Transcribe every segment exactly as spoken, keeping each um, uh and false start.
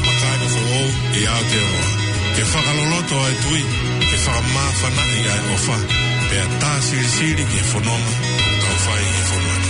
Makae foʻou ʻi Aotearoa. Ke fakaloloto ʻa e tui, ke fakamāfanaʻi ʻa e ʻofa, pea tā silisili ki he fononga ʻoku tau fai ʻi he fonua ni.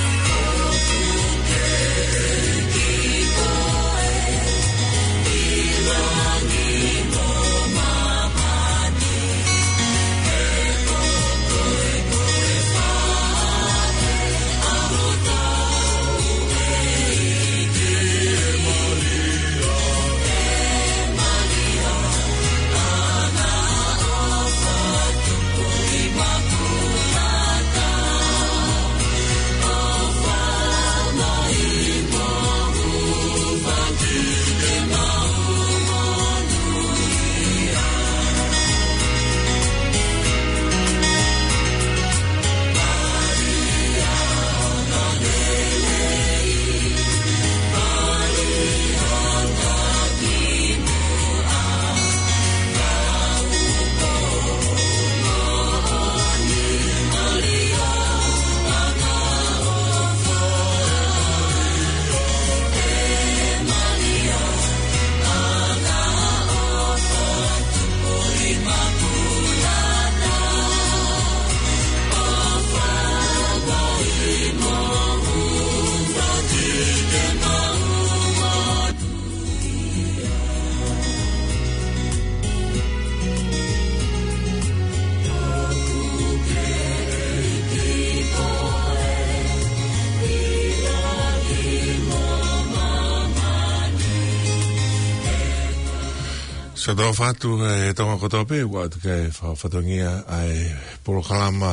Sa tau fatu e Tonga kotoa pē, ʻoatu ke fakafatongia ʻa e polokalama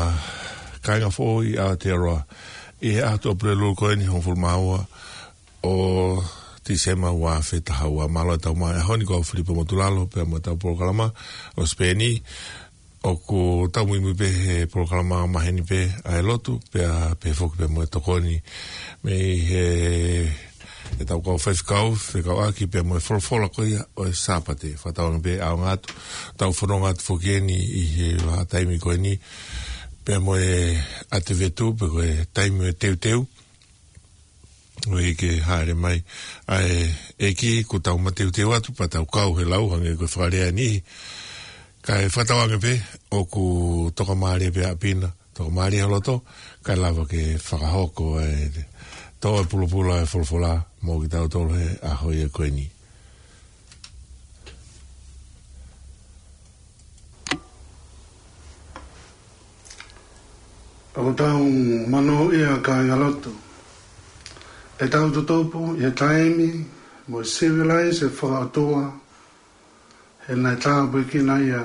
Kāinga Foʻou ʻi Aotearoa ʻi he ʻaho ʻo Tuʻapulelulu ko eni hongofulu mā ua ʻo Tīsema ua afe taha ua. Mālō e tau mai ʻaho ni, ko au Filipe Motulalo, pea mo e tau polokalama ʻo Sipeni. ʻOku tau muimui pē he polokalama maheni pē ʻa e lotu, pea pehē foki pē mo e tokoni mei he, he tau kau faifekau, fekauʻaki pea mo e folofola ko ia ʻo e Sāpate. Fakatauange pē ʻaonga atu, tau fononga atu foki eni ʻi he vahaʻa taimi ko eni, pea mo e ʻAtivetu, pe ko e taimi ʻo e teuteu. ʻOi ke hāʻele mai ʻa e ʻEiki, kuo tau mateuteu atu, pea tau kau he lau hangē ko e fakalea ʻa e niʻihi. Kae fakatauange pē, ʻoku tokamālie pē ʻapi na, tokamālie ho loto, kae lava ke fakahoko e tō e pulopula e folofola mo kitautolu he ʻaho ia ko eni. ʻOku tau monūʻia kāinga lotu, ʻetau tutupu ʻi he taimi mo e sivilaise fakaʻotua, he naʻe tāpuekina ia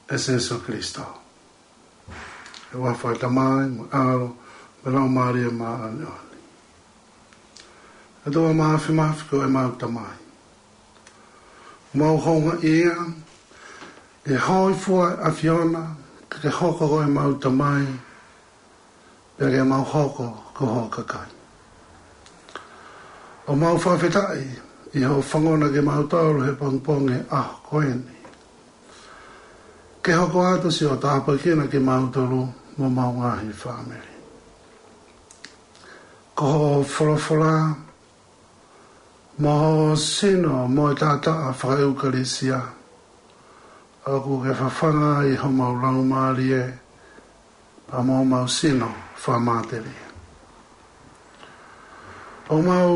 ʻe Sīsū Kalaisi. ʻI he huafa ʻo e Tamai, mo e ʻAlo, mo e Laumālie Māʻoniʻoni. ʻE ʻOtua Māfimafi ko ʻemau Tamai, mau houngaʻia ʻi he hōifua ʻa e ʻAfiona, ke ke hoko ko ʻemau Tamai, pea ke mau hoko ko ho kakai. ʻOku mau fakafetaʻi ʻi hoʻo fangona kimautolu he pongipongi ʻaho ko eni, ke hoko atu siʻo tāpuekina kimautolu mo homau ngaahi fāmili. Ko hoʻo folofola mo hoʻo sino mo e taʻataʻa fakaʻeukalisia, ʻoku ke fafanga ai homau laumālie pea mo homau sino fakamatelie. ʻOku mau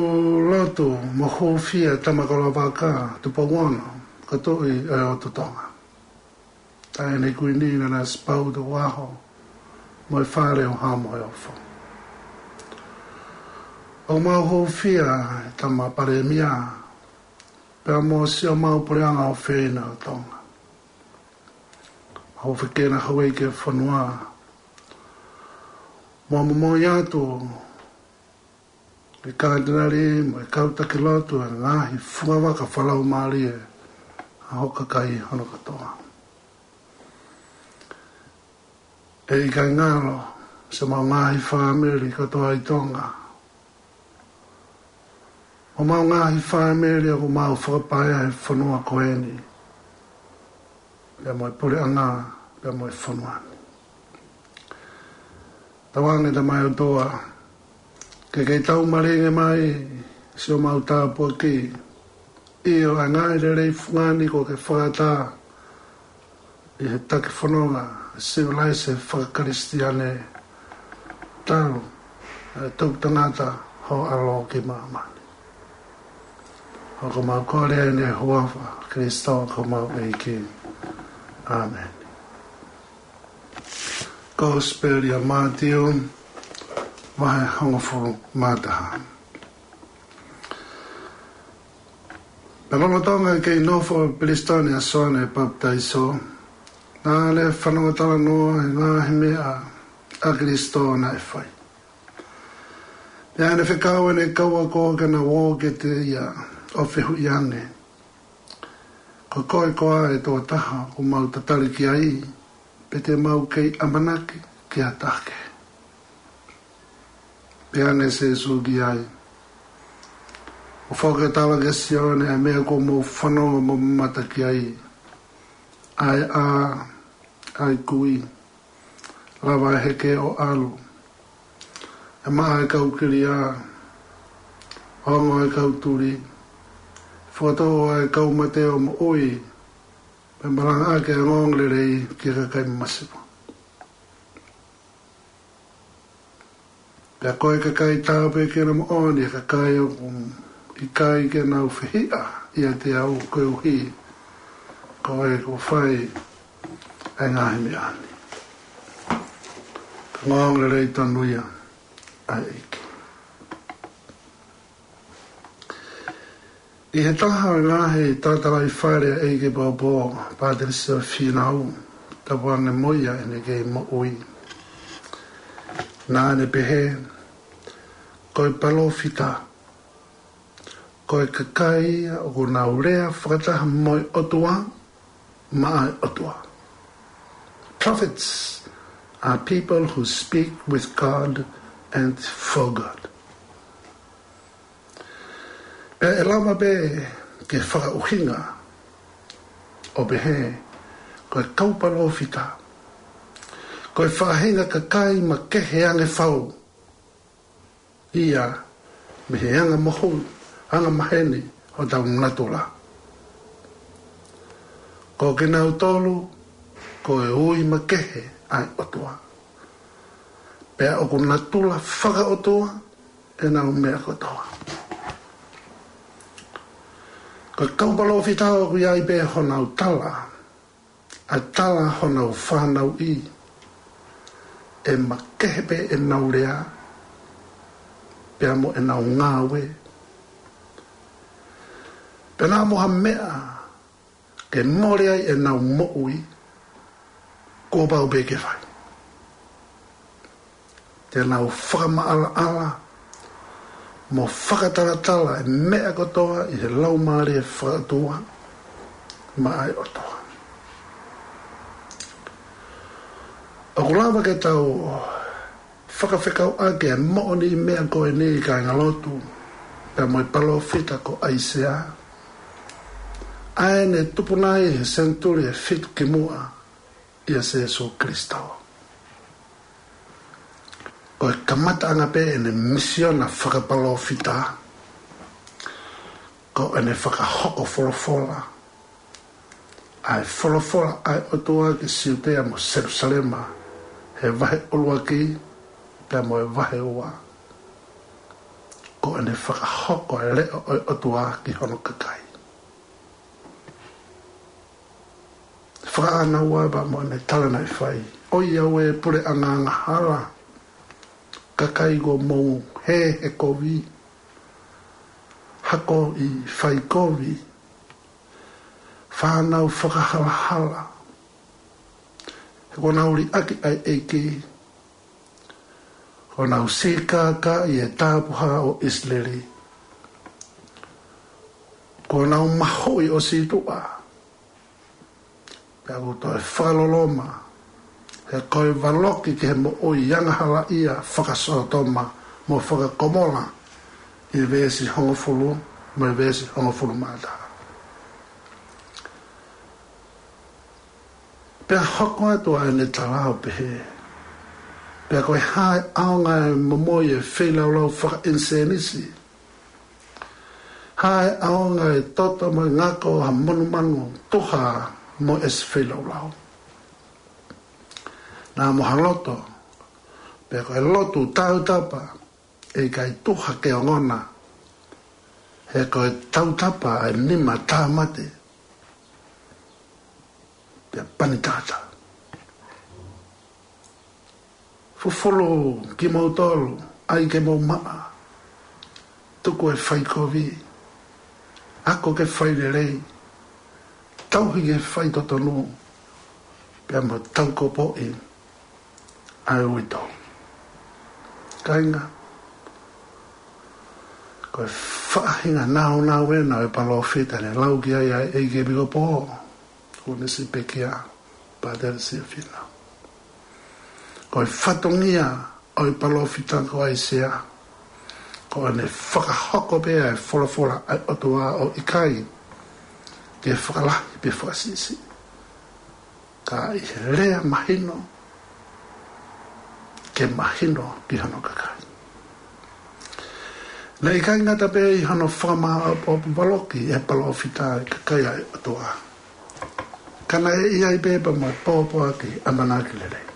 lotu mo hūfia Tama Kolavaka Tupou Ono, ko e Tuʻi ʻo e ʻOtu Tonga, Taʻahine Kuini Nanasipauʻu Tupou ʻAho, mo e Fale ʻo Haʻa Moheofo. ʻOku mau hūfia e Tama Palēmia, pea mo siʻomau Puleʻanga ʻofeina ʻo Tonga. Mau fekena houʻeiki ʻo e fonua, mo momoi atu e Katinali mo e kau taki lotu ʻa e ngaahi fungavaka fakalaumālie ʻa ho kakai hono kātoa. ʻE ʻikai ngalo siʻomau ngaahi fāmili kātoa ʻi Tonga, mo homau ngaahi fāmili ʻoku mau fakapaea he fonua ko eni, pea mo e puleʻanga, pea mo e fonua ni. Tauange Tamai ʻOtua, ke ke taumalingi mai siʻomau tāpuaki, ʻIo, ʻa e ngaahi lelei fungani kuo ke fakaʻatā ʻi he taki fononga sivilaise fakakalisitiane talu ʻa e tuku tangata ho ʻAlo ki māmani. ʻOku mau kole ʻeni ʻi he huafa ʻo Kalaisi ko homau ʻEiki. ʻĀmeni. Kosipeli ʻa Mātiu, vahe hongofulu mā taha. Pea lolotonga e kei nofo ʻi Pelisitone ʻa Soane Papitaiso, naʻa ne fanongo talanoa ʻi he ngaahi meʻa ʻa Kalaisi naʻe fai. Pea ne fekau ʻene kau ako ke na ō kiate ia ʻo fehuʻi ange, Ko koe koā ʻa e tokotaha ʻoku mau tatali ki ai, pe te mau kei ʻamanaki ki ha taha kehe? Pehē ange ʻe Sīsū ki ai, ʻOku ou tala kia Sione ʻa e meʻa kuo mou fanongo mo mamata ki ai, ʻa e ʻā, ʻa e kui, lava ʻa e heke ʻo ʻalu, ʻe maʻa ʻa e kau kilia, ongo ʻa e kau tuli, fokotuʻu ʻa e kau mate ʻo moʻui, pea malangaʻaki ʻa e ongoongolelei ki he kakai masiva. Pea ko e kakai tāpuekina moʻoni ʻa e kakai ʻoku ʻikai ke nau fehiʻa ʻiate au koeʻuhi ko e kuo fai ʻa e ngaahi meʻa ni. Ko e ongoongolelei tonu ia ʻa e ʻEiki. ʻI he taha ʻo e ngaahi talatalaifale ʻa e ʻEiki Pōpula Pātilisio Fīnau, tapu ange mo ia ʻene kei moʻui, naʻa ne pehē, Ko e palōfita, ko e kakai ia ʻoku nau lea fakataha mo e ʻOtua, maʻa e ʻOtua. Prophets are people who speak with God and for God. Pea ʻe lava pē ke fakaʻuhinga ʻo pehē, ko e kau palōfita, ko e faʻahinga kakai makehe ange fau ia mei he anga mohu, anga maheni hotau natula. Ko kinautolu ko e ui makehe ʻa e ʻOtua. Pea ʻoku natula fakaʻotua ʻenau meʻa kotoa. Ko e kau palōfita ʻoku ʻi ai pē honau tala, ʻa e tala honau fanauʻi, ʻe makehe pē ʻenau lea, pea mo ʻenau ngāue. Pea naʻa mo ha meʻa ke mole ai ʻenau moʻui, kuo pau pē ke fai. Te nau fakamaʻalaʻala mo fakatalatala e meʻa kotoa ʻi he laumālie fakaʻotua maʻa e ʻOtua. ʻOku lava ke tau fakafekauʻaki e moʻoniʻi meʻa ko eni, kāingalotu, pea mo e palōfita ko ʻAisea, ʻa ē ne tupu nai he senituli ʻe fitu kimuʻa ʻia Sīsū Kalaisi. Ko e kamataʻanga pē ʻene misiona fakapalōfita, ko ʻene fakahoko folofola, ʻa e folofola ʻa e ʻOtua ki Siutea mo Selūsalema, he vahe ʻuluaki pea mo e vahe ua. Ko ʻene fakahoko e leʻo ʻo e ʻOtua ki hono kakai. Fakaʻānaua pea mo ʻene tala naʻe fai, ʻOiauē puleʻanga angahala, kakai kuo mou hē he kovi, hako ʻi faikovi, fānau fakahalahala, he kuo nau liʻaki ʻa e ʻEiki, kuo nau sīkākaʻi e Tapuhā ʻo ʻIsileli, kuo nau mahuʻi ʻo sītuʻa, pea kuo toe fakaloloma, he ko e valoki ki he moʻui angahalaʻia fakasōtoma mo fakakomola, ʻi he veesi hongofulu mo e veesi hongofulu mā taha. Pea hoko atu ʻa ʻene tala ʻo pehē, Pea ko e hā e ʻaonga e momoi e feilaulau fakaʻinisēnisi, ʻa e ʻaonga e toto mo e ngako ha monumanu tuha mo e ʻesi feilaulau. Naʻa mo ha loto, pea ko e lotu tautapa, ʻe ʻikai tuha ke ongona, he ko e tautapa ʻa e nima tāmate, pea pani tata. Fufulu kimoutolu, ʻai ke mou maʻa, tuku e faikovi, ako ke fai lelei, tauhi ke fai totonu, pea mo taukopoʻi ʻa e uitou. Kāinga, ko e faʻahinga naunau ena ʻo e palōfita ne lau ki ai ʻa e ʻEiki ʻi he ʻaho ni, ko Sione Sipekia, Pātele Siafina. Ko e fatongia ʻo e palōfita ko ʻAisea, ko ʻene fakahoko pē ʻa e folofola ʻa e ʻOtua ʻo ʻikai ke fakalahi pe fakasiʻisiʻi, ka ʻi he lea mahino, ke mahino ki hono kakai. Naʻe ʻikai ngata pē ʻi hono fakamāʻopoʻopo valoki ʻe he palōfita ʻa e kakai ʻa e ʻOtua, ka naʻe ʻi ai pē pea mo e pōpoaki ʻamanaki lelei.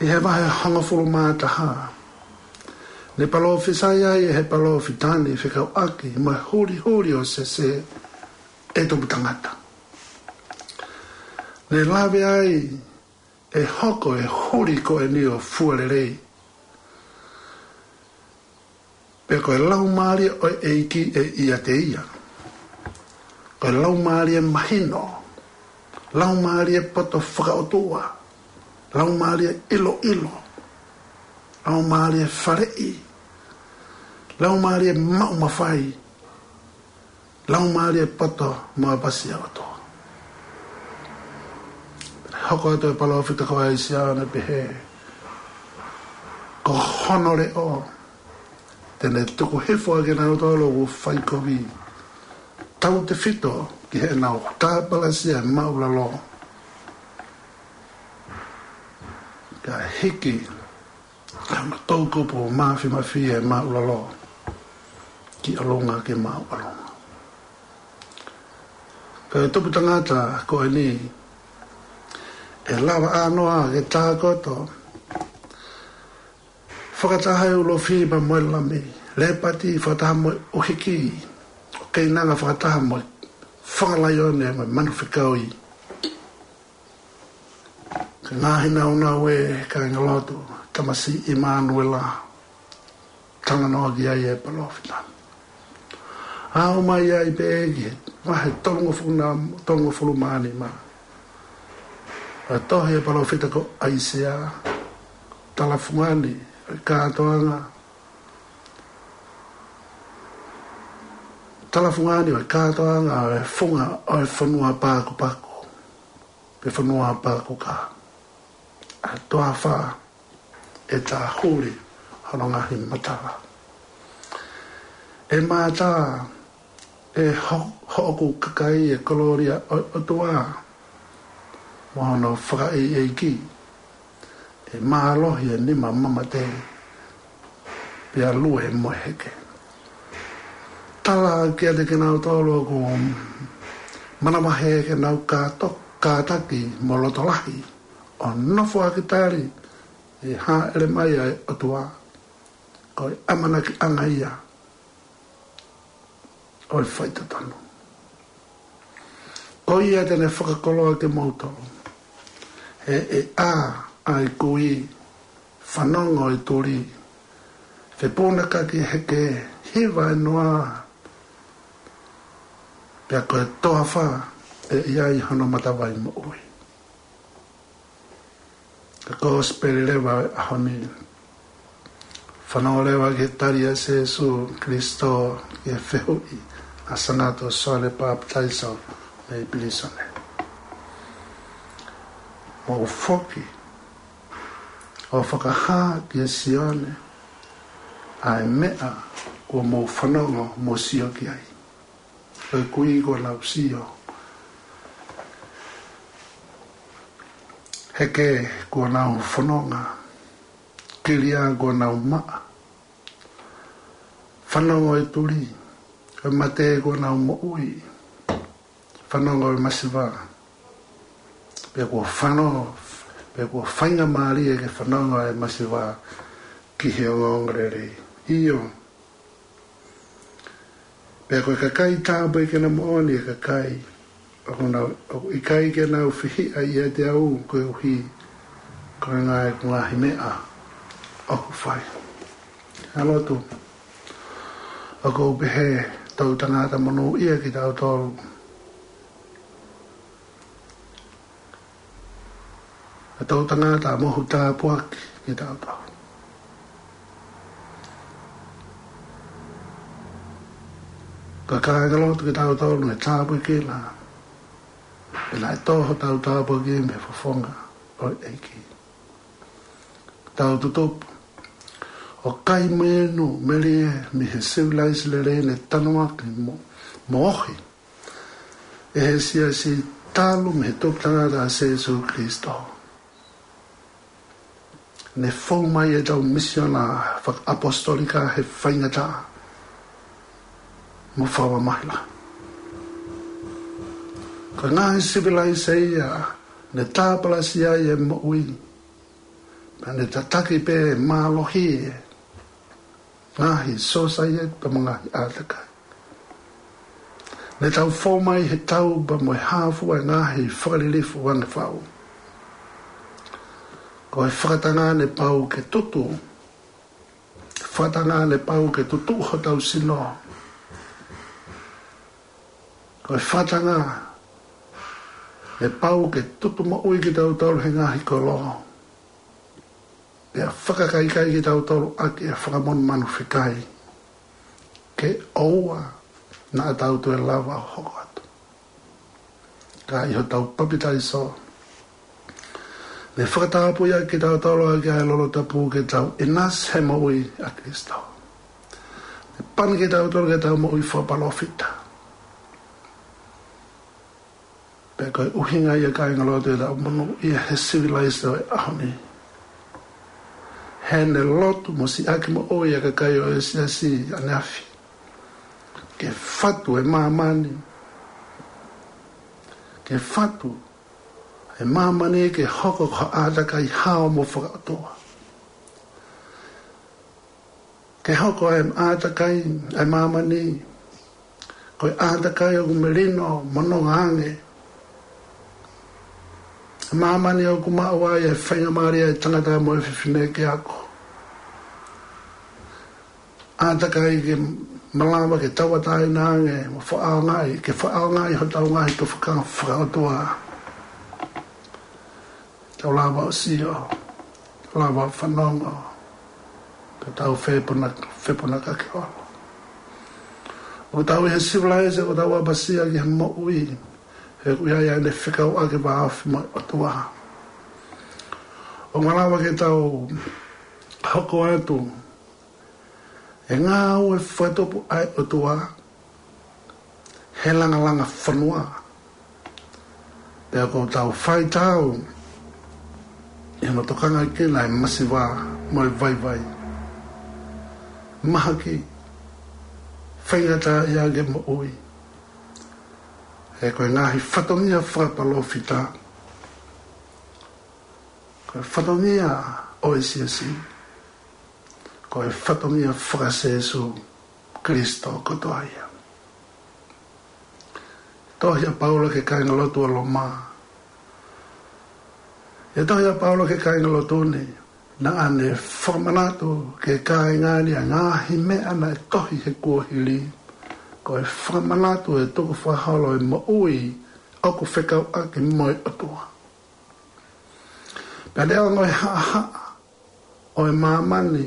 ʻI he vahe hongofulu mā taha, ne palōfisai ai ʻe he palōfita ni fekauʻaki mo e hulihuli ʻo Sese, ʻe tupu tangata. Ne lave ai ʻe hoko e huli ko eni ʻo fua lelei, pea ko e Laumālie ʻo e ʻEiki ʻe ʻiate ia. Ko e laumālie mahino, laumālie poto fakaʻotua, laumālie ʻiloʻilo, laumālie faleʻi, laumālie maʻu mafai, laumālie poto mo e pasi ʻa e ʻOtua. Hoko atu e palōfita ko ʻAisea ʻo ne pehē, ko hono leʻo te ne tuku hifo ʻa kinautolu ʻoku faikovi, tautefito ki heʻenau tāpalasia e māʻulalo, kae hiki ʻa hono toʻukupu mafimafi e māʻulalo ki ʻolunga, ki māʻolunga. Ko e tupu tangata ko eni, ʻe lava ʻānoa ke tākoto, fakataha e ulofi pea mo e lami, lepati fakataha mo e ʻuhiki, ʻo keinanga fakataha mo e fanga laione mo e manu fekaui. Ko e ngaahi naunau ē, kāinga lotu, tamasiʻi ʻImanuela, talanoa ki ai e palōfita. Aʻu mai ai pē ki he vahe tolungofulu, tolungofulu mā nima ʻo e tohi e palōfita ko ʻAisea, talafungani ʻo e kātoanga, talafungani ʻo e kātoanga ʻo e funga ʻo e fonua pakupaku, pe fonua pakuka. ʻA e toafa ʻe tāhuli hono ngaahi matala. ʻE mātā ʻe ho-, hoʻoku kakai e kolōlia ʻo e ʻOtua mo hono fakaʻeiʻeiki. ʻE mālohi e nima mamate, pea lue mo e heke. Tala kiate kinautolu ʻoku manavahē ke nau kāto-, kātaki mo loto lahi ʻo nofo ʻaki tali ʻe hāʻele mai ʻa e ʻOtua. Ko e ʻamanakiʻanga ia ʻo e faitotonu. Ko ia te ne fakakoloa kimoutolu. He ʻe ʻā ʻa e kui, fanongo e tuli, fepūnakaki e heke, hiva e noa, pea ko e toafa ʻe ʻi ai hono matavai moʻui. Ko e kosipeli leva ʻo e ʻaho ni. Fanongo leva ki he tali ʻa Sīsū Kalaisi ki he fehuʻi ʻa Sanato Soane Papitaiso mei pilīsone. Mou foki ʻo fakahā kia Sione ʻa e meʻa kuo mou fanongo mo sio ki ai. Ko e kui kuo nau sio. Heke kuo nau fononga. Kilia kuo nau maʻa. fanongo e tuli, ko e mate kuo nau moʻui, fanongo e masiva, pea kuo fano, pea kuo faingamālie ke fanongo e masiva ki he ongoongolelei. ʻIo, pea ko e kakai tāpuekina moʻoni e kakai ʻoku nau, ʻoku ʻikai ke nau fehiʻa ʻiate au koeʻuhi ko e ngaahi, ko e ngaahi meʻa ʻoku fai. ʻA e lotu, ʻoku ou pehē, tau tangata monūʻia kitautolu. ʻA e tau tangata mohu tāpuaki kitautolu. Ka kāinga lotu kitautolu naʻe tāpuekina, pea naʻe tō hotau tāpuaki mei he fofonga ʻo e ʻEiki. Tau tutupu ʻo kai mo inu melie mei he sivilaise lelei naʻe tanuaki mo, mo ohi ʻe he siasi talu mei he tuputangata ʻa Sīsū Kalaisi. Naʻe fou mai ʻetau misiona fakaʻaposetolika he faingataʻa mo fakamamahi lahi. Ko e ngaahi sivilaise ia naʻe tāpalasia ai e moʻui, pea naʻe tataki pē mālohi e ngaahi sōsaieti pea mo e ngaahi ʻātakai. Naʻe tau fou mai he tau pea mo e hā fua e ngaahi fakalilifu ʻa e fau. Ko e fakatanga naʻe pau ke tutu, fakatanga naʻe pau ke tutu hotau sino. Ko e fakatanga naʻe pau ke tutu moʻui kitautolu he ngaahi kolo, pea fakakaikai kitautolu ʻaki e fakamonumanu fekai, ke ʻoua naʻa tau toe lava ʻo hoko atu. Ka ʻi hotau papitaiso, naʻe fakatapui ʻaki kitautolu ʻaki ʻa e lolo tapu ke tau ʻinasi he moʻui ʻa Kalaisi. Naʻe pani kitautolu ke tau moʻui fakapalōfita. Pea ko e ʻuhinga ia, kāinga lotu, ʻetau monūʻia he sivilaise ʻo e ʻaho ni, he naʻe lotu mo siʻaki moʻui ʻa e kakai ʻo e siasi ʻaneafi ke fatu e māmani, ke fatu e māmani ke hoko ko ha ʻātakai hao mo fakaʻotua. Ke hoko e ʻātakai ʻa e māmani ko e ʻātakai ʻoku melino mo nonga ange. Māmani ʻoku maʻu ai e faingamālie ʻa e tangata mo e fefine ke ako. ʻĀtakai ke malava ke tauʻatāina ange mo fakaʻaongaʻi, ke fakaʻaongaʻi hotau ngaahi tufakanga fakaʻotua. Tau lava ʻo sio, tau lava ʻo fanongo, ka tau fepuna-, fepunakaki ʻolo. ʻOku tau ʻi he sivilaise, ʻoku tau ʻapasia ki he moʻui, he ʻoku ʻi ai ʻene fekauʻaki vāofi mo e ʻOtua. ʻOku malava ke tau hoko atu e ngāue fakatupu ʻa e ʻOtua he langalanga fonua. Pea ʻoku tau faitau ʻi hono tokangaʻi kinaua e masiva mo e vaivai, mahaki, faingataʻaʻia ke moʻui. He ko e ngaahi fatongia fakapalōfita, ko e fatongia ʻo e siasi, ko e fatongia faka-Sīsū Kalaisi kotoa ia. Tohi ʻa Paula ki he kāinga lotu ʻa Loma. ʻI he tohi ʻa Paula ki he kāinga lotu ni, naʻa ne fakamanatu ki he kāinga ni ʻa e ngaahi meʻa naʻe tohi he kuohili, ko e fakamanatu e tukufakaholo e moʻui ʻoku fekauʻaki mo e ʻOtua. Pea neongo e haʻahaʻa ʻo e māmani,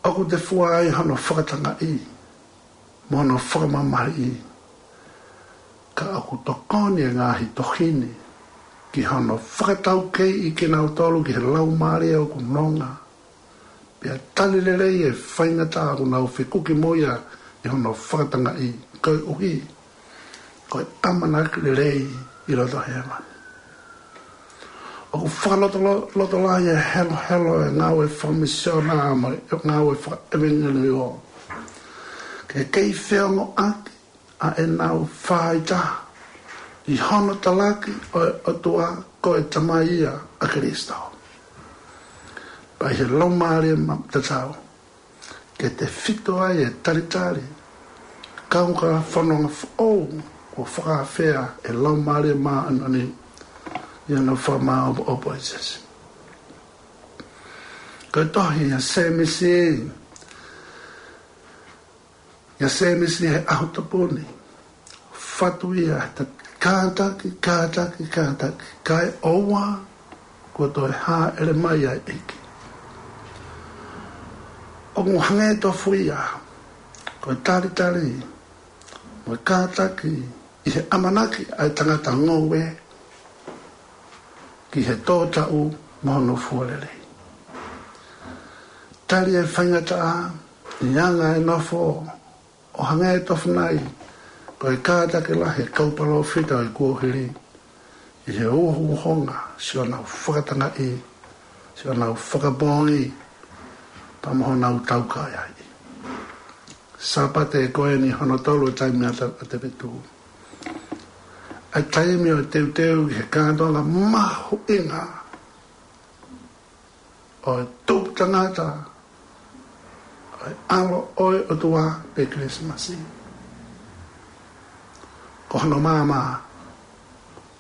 ʻoku tefua ai hono fakatangaʻi mo hono fakamamahiʻi, ka ʻoku tokoni e ngaahi tohi ni ki hono fakataukeiʻi kinautolu ki he laumālie ʻoku nonga, pea tali lelei e faingataʻa ʻoku nau fekuki mo ia ʻi hono fakatangaʻi, koeʻuhi ko e ʻamanaki lelei ʻi loto hēvani. ʻOku fakalotolo-, lotolahi e helohelo e ngāue fakamisiona mo e ngāue fakaʻevangeliō ke kei feongoʻaki ʻa ʻenau fāitaha ʻi hono talaki ʻo e ʻOtua ko e Tamai ia ʻa Kalaisi. Pea ʻi he Laumālie ma-, tatau, ke tefito ai e talitali, kaungā fononga foʻou kuo fakaafeʻi ʻe he Laumālie Māʻoniʻoni ʻi hono fakamāʻopoʻopo ʻa Sēmisi. Ko e tohi ʻa Sēmisi, ʻa Sēmisi he ʻaho tapu ni, fatu ia he ta-, kātaki, kātaki, kātaki, kae ʻoua kuo toe hāʻele mai ʻa e ʻEiki. ʻOku hangē tofu ia ko e talitali mo e kātaki ʻi he ʻamanaki ʻa e tangata ngoue ki he tō taʻu mo hono fua lelei. Tali e faingataʻa ʻi he anga e nofo, ʻo hangē tofu nai ko e kātaki lahi e kau palōfita ʻo e kuohili ʻi he uhouhonga siʻonau fakatangaʻi, siʻonau fakapoongi, pea mo honau taukaeaʻi. Sāpate ko eni hono tolu e taimi ʻa te-, ʻa te vetu, ʻa e taimi ʻo e teuteu ki he kātoanga mahuʻinga ʻo e tupu tangata ʻo e ʻAlo ʻo e ʻOtua pe Kilisimasi. Ko hono maama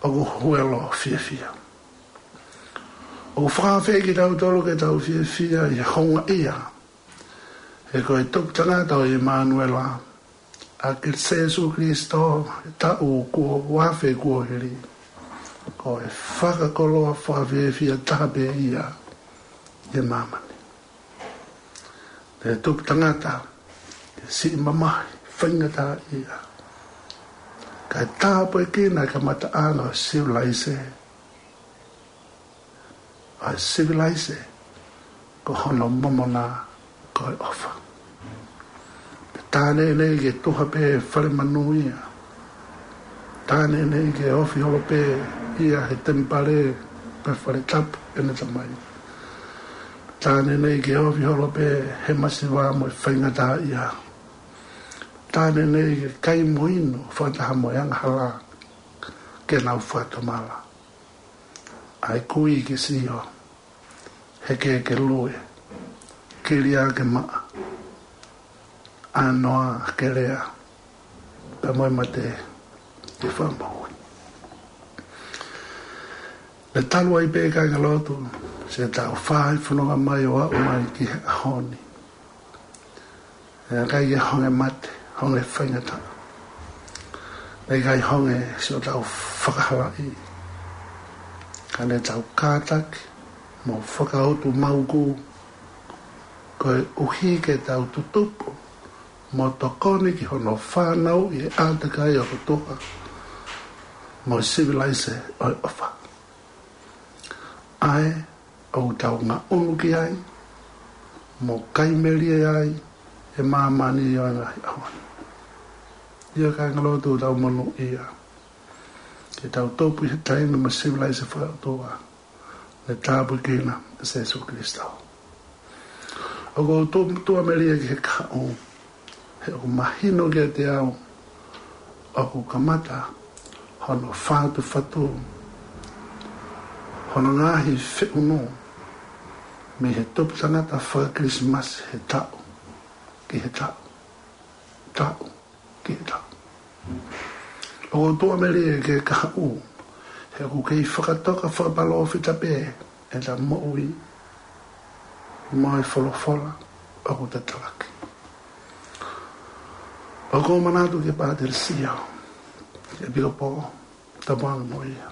ʻoku huelo fiefia. ʻOku fakaafeʻi kitautolu ke tau fiefia ʻi he houngaʻia, he ko e tupu tangata ʻo ʻImanuela, ʻa Sēsū Kalaisi, he taʻu kuo ua afe kuohili, ko e fakakoloa fakafiefia taha pē ia ʻi māmani. Ko e tupu tangata, ko e siʻi mamahi faingataʻaʻia, kae tāpuekina e kamataʻanga ʻo e sivilaise. ʻA e sivilaise, ko hono momona ko e ʻofa. Tā neʻineʻi ke tuha pē fale manuia. Tā neʻineʻi ke ofi holo pē ia he temipale pe fale tapu ʻene Tamai. Tā neʻineʻi ke ofi holo pē he masiva mo e faingataʻaʻia. Tā neʻineʻi ke kai mo inu fakataha mo e angahala ke nau fakatomala. ʻA e kui ke sio, heke ke lue, kilia ke maʻa, ʻanoa ke lea, pea mo e mate ke fakamoʻui. Naʻe talu ai pē kāingalotu, siʻetau fai fononga mai ʻo aʻu mai ki he ʻaho ni. Naʻe ʻikai ke honge mate, honge faingataʻa. Naʻe ʻikai honge siʻotau fakahalaʻi. Ka ne tau kātaki mo fakautu mauku, koeʻuhi ke tau tutupu mo tokoni ki hono fanauʻi e ʻātakai ʻo e ʻOtua mo e sivilaise ʻo e ʻofa. ʻA ē ʻoku tau ngaʻunu ki ai, mo kai melie ai e māmani ʻo e ngaahi ʻaho ni. ʻIo kāingalotu, tau monūʻia ke tau tupu ʻi he taimi mo e sivilaise fakaʻotua ne tāpuekina ʻe Sēsū Kalaisi. ʻOku ou tuʻu, tuʻu melie ki he kahaʻu, he ʻoku mahino kiate au ʻoku kamata hono fatufatu hono ngaahi feʻunu mei he tupu tangata faka-Kilisimasi he taʻu ki he taʻu, taʻu ki he taʻu. ʻOku ou tuʻu melie ki he kahaʻu, he ʻoku kei fakatoka fakapalōfita pē ʻeta moʻui mo e folofola ʻoku ta talaki. ʻOku ou manatu ki he Pātele Sio, ki he ʻEpikopō, tapu ange mo ia.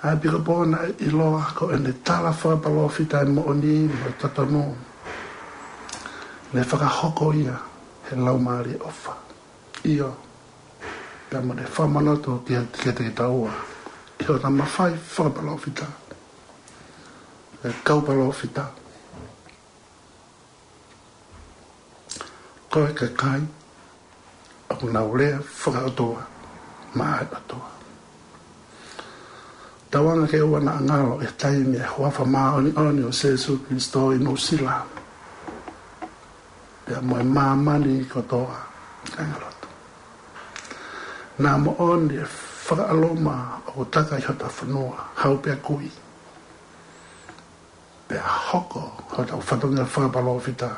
ʻA e ʻEpikopō naʻe ʻiloa ko ʻene tala fakapalōfita e moʻoni mo e totonu, ne fakahoko ia he Laumālie ʻofa. ʻIo, pea mo ne fakamanatu kiate kitaua ʻi hota mafai fakapalōfita, e kau palōfita, ko e kakai ʻoku nau lea fakaʻotua maʻa e ʻOtua. Tauange ke ʻoua naʻa ngalo e taimi e huafa māʻoniʻoni ʻo Sēsū Kalaisi ʻi Nuʻusila pea mo e māmani kotoa, kāinga lotu. Naʻa moʻoni e fakaʻaluma ʻoku taka ʻi hota fonua, hau pea kui, pea hoko hotau fatongia fakapalōfita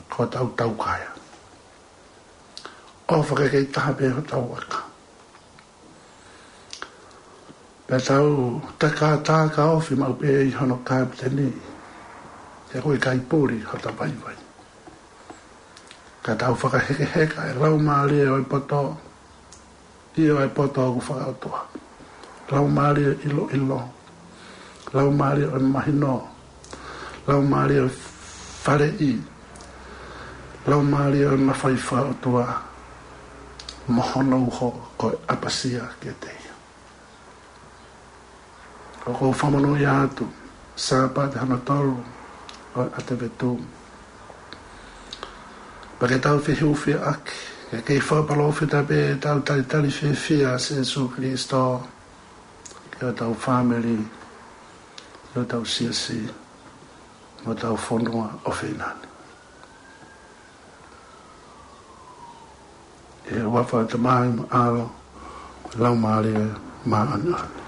ko hotau taukaea. ʻOfa ke kei taha pē hotau aka. Pea tau takataka ofi maʻu pē ʻi hono kapiteni, he ko e kaipuli hota vaivai. Ka tau fakahekeheka e laumālie ʻo e poto, ʻio, e poto ʻoku fakaʻotua. Laumālie ʻiloʻilo, laumālie ʻo e mahino, laumālie ʻo e faleʻi, laumālie ʻo e mafai fakaʻotua, mo hono uho ko e ʻapasia kiate ia. ʻOku ou fakamonūʻia atu, Sāpate hono tolu ʻo e ʻAtevetu. Pea ke tau fehiʻufiaʻaki, ke kei fakapalōfita pē ʻetau talitali fiefia ʻa Sēsū Kalaisi ki hotau fāmili, ki hotau siasi, mo hotau fonua ʻofeina ni. ʻI he huafa ʻo e Tamai mo e ʻAlo mo e Laumālie Māʻoniʻoni.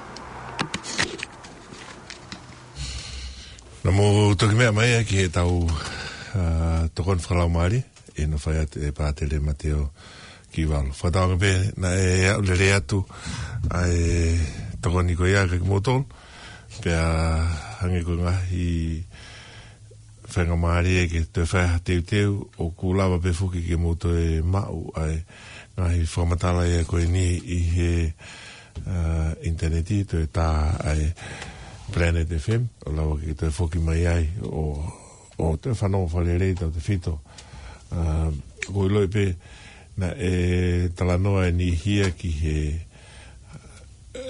Naʻa mou toki meʻa mai ia ki heʻetau, ā, tokoni fakalaumālie, ʻi hono fai atu ʻe Pātele Mateo Kivalo. Fakatauange pē naʻe aʻu lelei atu ʻa e tokoni ko ia kiate kimoutolu, pea hangē ko e ngaahi faingamālie ke toe fai ha teuteu, ʻoku lava pē foki ke mou toe maʻu ʻa e ngaahi fakamatala ia ko eni ʻi he, ā, ʻinitaneti, toe tā ʻa e Planet F M, ʻo lava ke toe foki mai ai, ʻo, ʻo toe fanongo fakalelei tautefito. Ā, ʻoku ou ʻiloʻi pē naʻe talanoa e niʻihi ia ki he,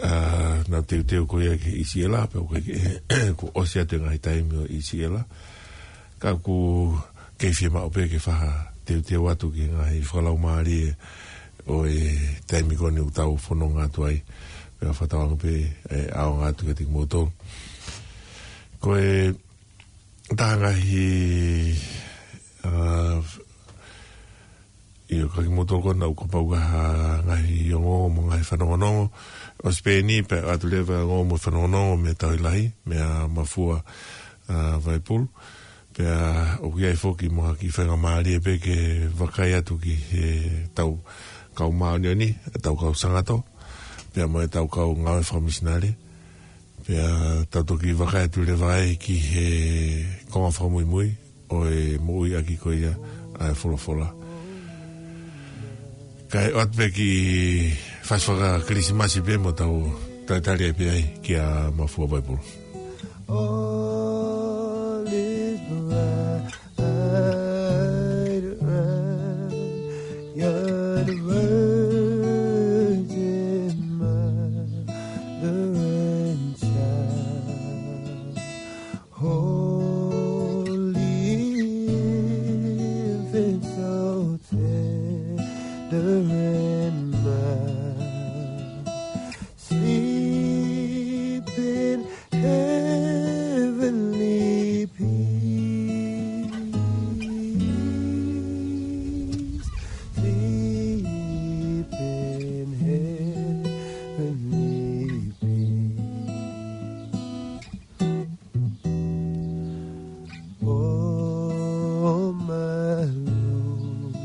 ā, ʻenau teuteu ko ia ki ʻIsileli, pea ʻoku ke, kuo ʻosi atu e ngaahi taimi ʻo ʻIsileli. Ka ʻoku kei fiemaʻu pē ke fai ha teuteu atu ki he ngaahi fakalaumālie ʻo e taimi ko eni ʻoku tau fononga atu ai. Pea fakatauange pē ʻe ʻaonga atu kiate kimoutolu. Ko e taha ngaahi, ā, ʻio, kiate kimoutolu ko ena ʻoku pau ke ʻi ai ha ngaahi ongoongo mo e ngaahi fanongonongo. ʻOsi pē eni pea ʻoatu leva e ongoongo mo e fanongonongo mei he Tauhi Lahi, meia Mafua, ā, Vaipulu. Pea ʻoku ʻi ai foki mo ha kiʻi faingamālie pē ke vakai atu ki heʻetau kau māʻoniʻoni, ʻetau kau sangato, pea mo ʻetau kau ngāue fakamisinale. Pea tau toki vakai atu leva ai ki he konga fakamuimui ʻo e moʻui ʻaki ko ia ʻa e folofola. Kae ʻoatu pē kiʻi fasi faka-Kilisimasi pē mo tau talitali ai pē ai kia Mafua Vaipulu. All is bright around, you're the Virgin Mother and Child. Holy infant, so tender and mild, sleep in heavenly peace. Sleep in heavenly peace. Oh, my Lord,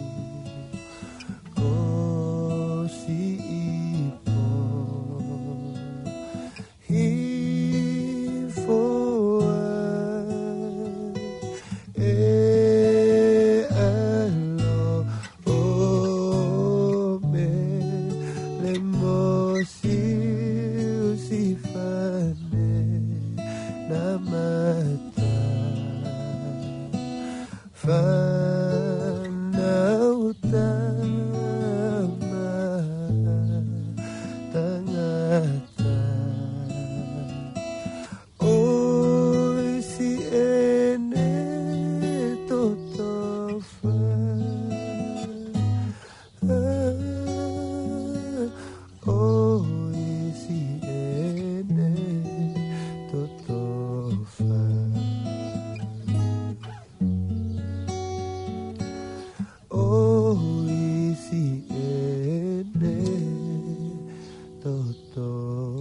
oh, see ʻo ʻisi ʻene totofa.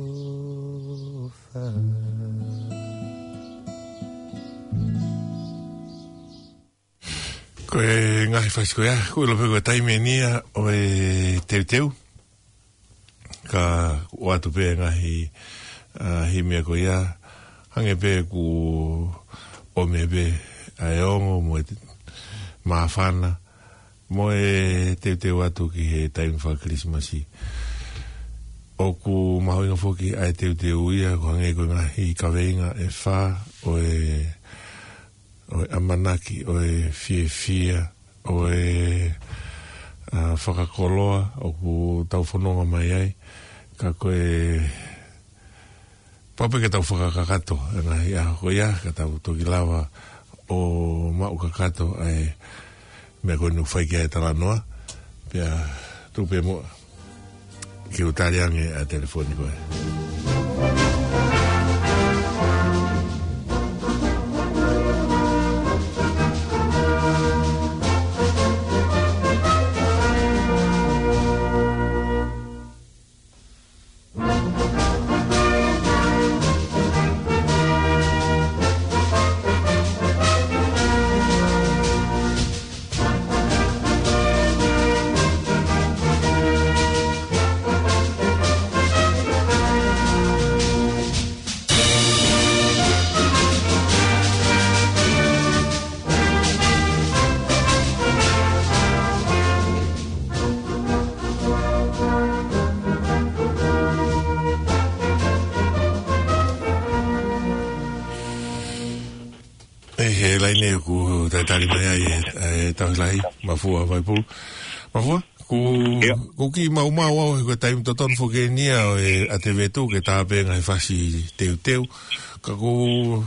Ko e ngaahi fasi ko ia, kuo ʻilo pē ko e taimi eni ia ʻo e teuteu. Ka ʻoatu pē ngaahi, ʻa, himi ko ia, hangē pē kuo ʻomi pē ʻa e ongo mo e māfana, mo e teuteu atu ki he taimi faka-Kilisimasi. ʻOku mahuʻinga foki ʻa e teuteu ia, ko e hangē ko e ngaahi kaveinga ʻe fā ʻo e ʻo e ʻamanaki, ʻo e fiefia, ʻo e, ʻa, fakakoloa, ʻoku tau fononga mai ai, ka ko e pau pē ke tau fakakakato, ʻa e ngaahi ʻaho ko ia, ka tau toki lava ʻo maʻu kakato, ʻa e meʻa ko eni ʻoku fai ki ai e talanoa, pea tuku pē muʻa ke u tali ange ʻa e telefoni ko ē. ʻE, he laine ʻoku talitali mai ai e, e Tauhi Lahi, Mafua Vaipulu. Mafua, ʻoku, ʻIo. ʻoku kiʻi maumau au he ko e taimi totonu foki eni ia ʻo e ʻa e vetu ke tā pē ngaahi fasi teuteu. Ka ʻoku,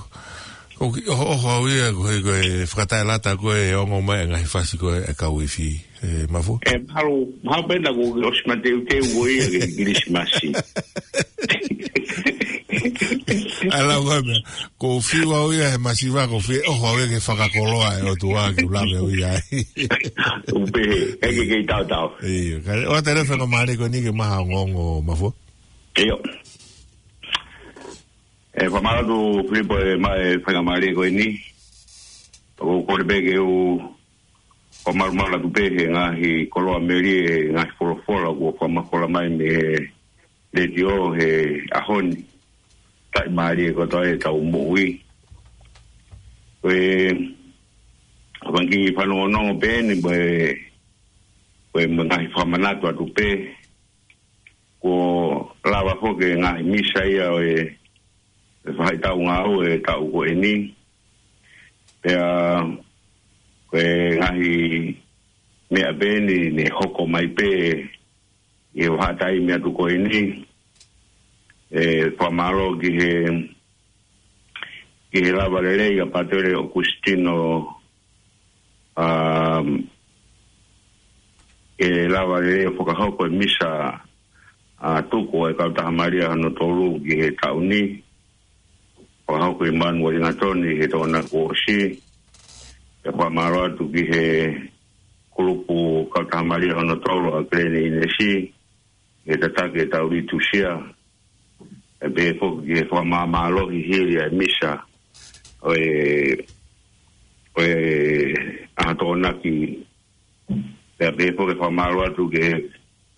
ʻoku kiʻi ʻohoʻoho au ia ko e, ko e fakataʻelata ko e ongo mai e ngaahi fasi ko e kau ifi. ʻE, Mafua? ʻE, mahalo, mahalo pē naʻa ku ʻosi mateuteu ko ia ki he Kilisimasi. ʻA e lau ko e meʻa, ʻoku ou fiu au ia he masiva, ʻoku ou fie ʻoho au ia ki he fakakoloa ʻa e ʻOtua ke u lave au ia ai. ʻOku pehē, ʻe ke kei tautau. ʻIo, ka ʻoatu e faingamālie ko eni ke maʻu ha ongoongo, Mafua. ʻIo. ʻE, fakamālō atu Filipo e maʻu e faingamālie ko eni. ʻOku ou kole pē ke u fakamalumalu atu pē he ngaahi koloa melie, ngaahi folofola kuo fakamafola mai mei he letiō he ʻaho ni. Taʻimālie kotoa ʻetau moʻui. Ko e, ko e kiʻi fanongonongo pē eni, ko e, ko e mo e ngaahi fakamanatu atu pē, kuo lava foki e ngaahi misa ia ʻo e, e faʻahitaʻu ngāue e taʻu ko eni. Pea ko e ngaahi meʻa pē eni ne hoko mai pē ʻi he vahaʻataimi atu ko eni. ʻE, fakamālō ki he, ki he lava lelei ʻa Pātele ʻOkusitino, um, ʻe lava lelei ʻo fakahoko e misa ʻa e tuku ʻa e Kautaha Malia hono tolu ki he taʻu ni. Fakahoko ʻe Manueli Gatoni he Tokonaki kuo ʻosi. ʻE fakamālō atu ki he kulupu Kautaha Malia hono tolu ʻa Kileni ʻInesi, he tataki ʻetau litusia. ʻE pehē foki ki he fakamāmālohi hili ʻa e misa ʻo e, ʻo e ʻaho Tokonaki. Pea pehē foki e fakamālō atu ki he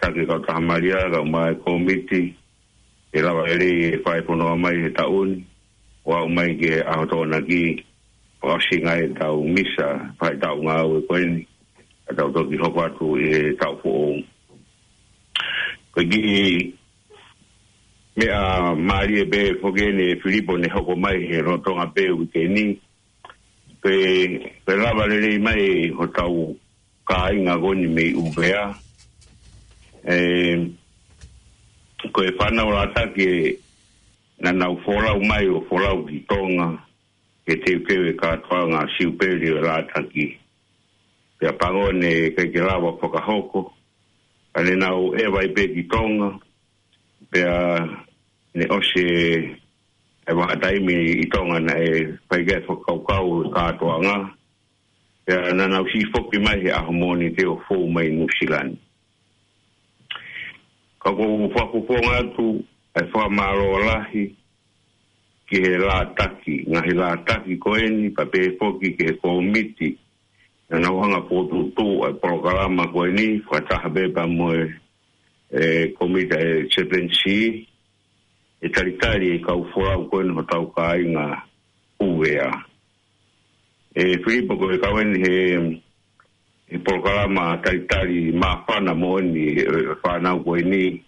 taki Kautaha Malia, kae ʻumaʻā e kōmiti, ʻe lava lelei e fai fononga mai he taʻu ni, ʻo aʻu mai ki he ʻaho Tokonaki, fakaʻosinga ʻetau misa, faʻahitaʻu ngāue ko eni, ka tau toki hoko atu ʻi he taʻu foʻou. Ko e kiʻi meʻa mālie pē foki eni ʻe Filipo ne hoko mai he lolotonga pē uike ni, ko e, ko e lava lelei mai hotau kāinga ko eni mei ʻUvea. ʻE, ko e fānau Lātaki naʻa nau folau mai ʻo folau ki Tonga, he teuteu e kātoanga siupeli ʻo e Lātaki. Pea pango ne ʻikai ke lava fakahoko, ka ne nau ʻeva ai pē ki Tonga, pea ne ʻosi e vahaʻataimi ʻi Tonga naʻe fai ki ai e fakakaukau e kātoanga. Pea naʻa nau siʻi foki mai he ʻaho Mōnite ʻo fou mai Nuʻusila ni. Ka ʻoku ou fakafofonga atu ʻa e fakamālō lahi ki he lātaki, ngaahi lātaki ko eni, pea pehē foki ki he kōmiti naʻa nau hanga ʻo fokotuʻutuʻu ʻa e polokalama ko eni, fakataha pē pea mo e, e kōmiti ʻa e Chaplaincy, ʻe talitali e kau folau ko eni hotau kāinga ʻUvea. ʻE Filipo, ko e kau eni he, he polokalama talitali māfana moʻoni ʻa e fānau ko eni,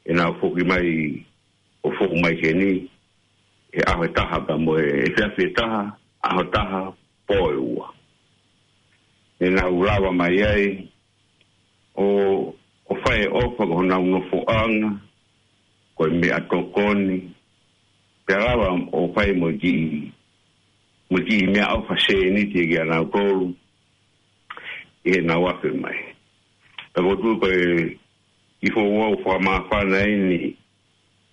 ʻenau foki mai ʻo fou mai heni, he ʻaho ʻe taha pea mo e efiafi ʻe taha, ʻaho ʻe taha, pō ʻe ua. ʻEnau lava mai ai ʻo, ʻo fai e ʻofa ki honau nofoʻanga, ko e meʻatokoni, pea lava ʻo fai mo e kiʻi, mo e kiʻi meʻaʻofa sēniti kia nautolu ʻi heʻenau afe mai. Pea ʻoku ou tui ko e kiʻi foʻi ʻuhinga fakamāfana eni,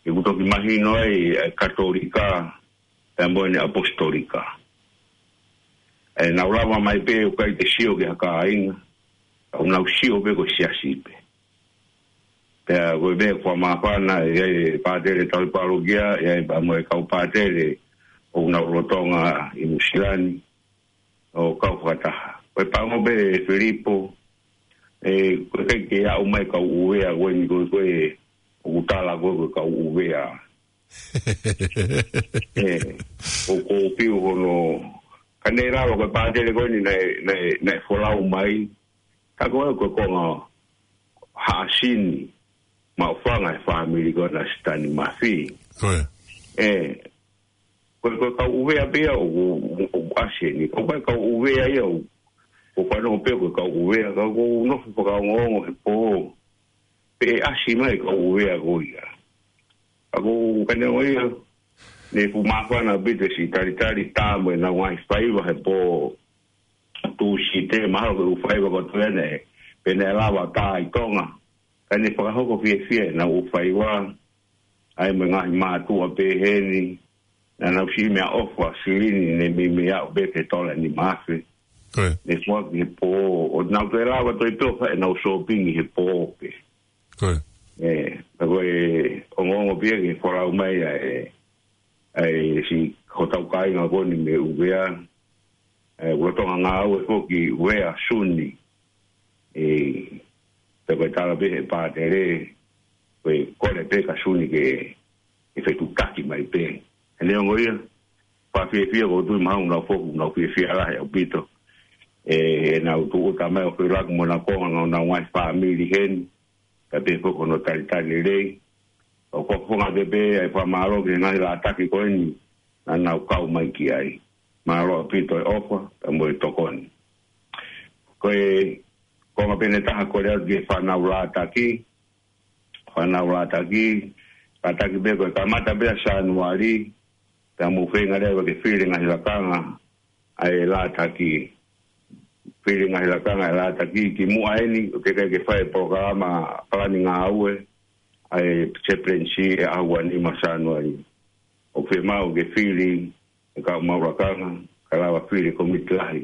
ʻoku toki mahino ai ʻa e Katolika pea mo ʻene ʻAposetolika. ʻEnau lava mai pē ʻo ʻikai ke sio ki ha kāinga, ʻoku nau sio pē ko e siasi pē. Pea ko e meʻa fakamāfana, ʻe ʻi ai e pātele tauhi pālokia, ʻe ʻi ai pea mo e kau pātele ʻoku nau lolotonga ʻi Nuʻusila ni ʻo kau fakataha. Ko e pango pē, Filipo, ʻe, ʻoku ʻikai ke aʻu mai kau ʻUvea ko eni, ko e, ko e ʻoku tala ko e, ko e kau ʻUvea. ʻE, ʻoku ou fiu hono, ka ne lava ko e pātele ko eni naʻe, naʻe, naʻe folau mai, ka ko e, ko e konga haʻasi ni, maʻufanga he fāmili ko ena ʻa Sitani Mafi. Ko e. ʻE, ko e, ko e kau ʻUvea pē ia ʻoku, ʻoku ʻasi eni. Ko e kau ʻUvea ia ʻoku, ʻoku fanongo pē ko e kau ʻUvea, ka ʻoku ou nofo fakaongoongo he pō pe ʻe ʻasi mai kau ʻUvea ko ia. Ka ʻoku ou kane o ia, ne fuʻu māfana ʻaupito siʻi talitali tā mo ʻenau ngaahi faiva he pō Tūsite, mahalo ko e ʻū faiva ko ē ʻoku toe ʻi ai, pea ne lava tā ʻi Tonga. Ka ne fakahoko fiefia ʻenau ʻū faiva, ʻa ia mo e ngaahi mātuʻa pehē ni, naʻa nau siʻi meʻaʻofa silini ne meimei aʻu pē ki he tola ʻe nima afe. Ko e. Ne foaki he pō, ʻo nau toe lava toe pē ʻo fai ʻenau sōpingi he pō pē. Ko e. ʻE, ka ko e ongoongo pē ia ki he folau mai ʻa e, ʻa e siʻi hotau kāinga ko eni mei ʻUvea, ʻe, ʻoku lolotonga ngāue foki ʻUvea Suni. ʻE, pea ko e tala pē he pātele, ko e kole pē kia Suni ke, ke fetuʻutaki mai pē. ʻE neongo ia, fakafiefia ʻoku ou tui mahalo ʻoku nau foki, ʻoku nau fiefia lahi ʻaupito. ʻE, ʻenau tūʻuta mai ʻo felaku mo ʻenau konga, ʻenau ngaahi fāmili heni, ka pehē foki hono talitali lelei. ʻOku ou fakafofonga pē pē ʻa e fakamālō ki he ngaahi lātaki ko eni naʻa nau kau mai ki ai. Mālō ʻaupito e ʻofa, pea mo e tokoni. Ko e konga pē ʻe taha, kole atu ki he fānau lātaki, fānau lātaki, lātaki pē ko e kamata pē ʻa Sānuali, pea mou feinga leva ke fili ngaahi lakanga ʻa e lātaki. Fili ngaahi lakanga ʻa e lātaki, kimuʻa eni, ʻoku teʻeki ke fai e polokalama palani ngāue ʻa e Chaplaincy he ʻaho ua nima Sānuali. ʻOku fiemaʻu ke fili e kau maʻu lakanga, kae lava fili e kōmiti lahi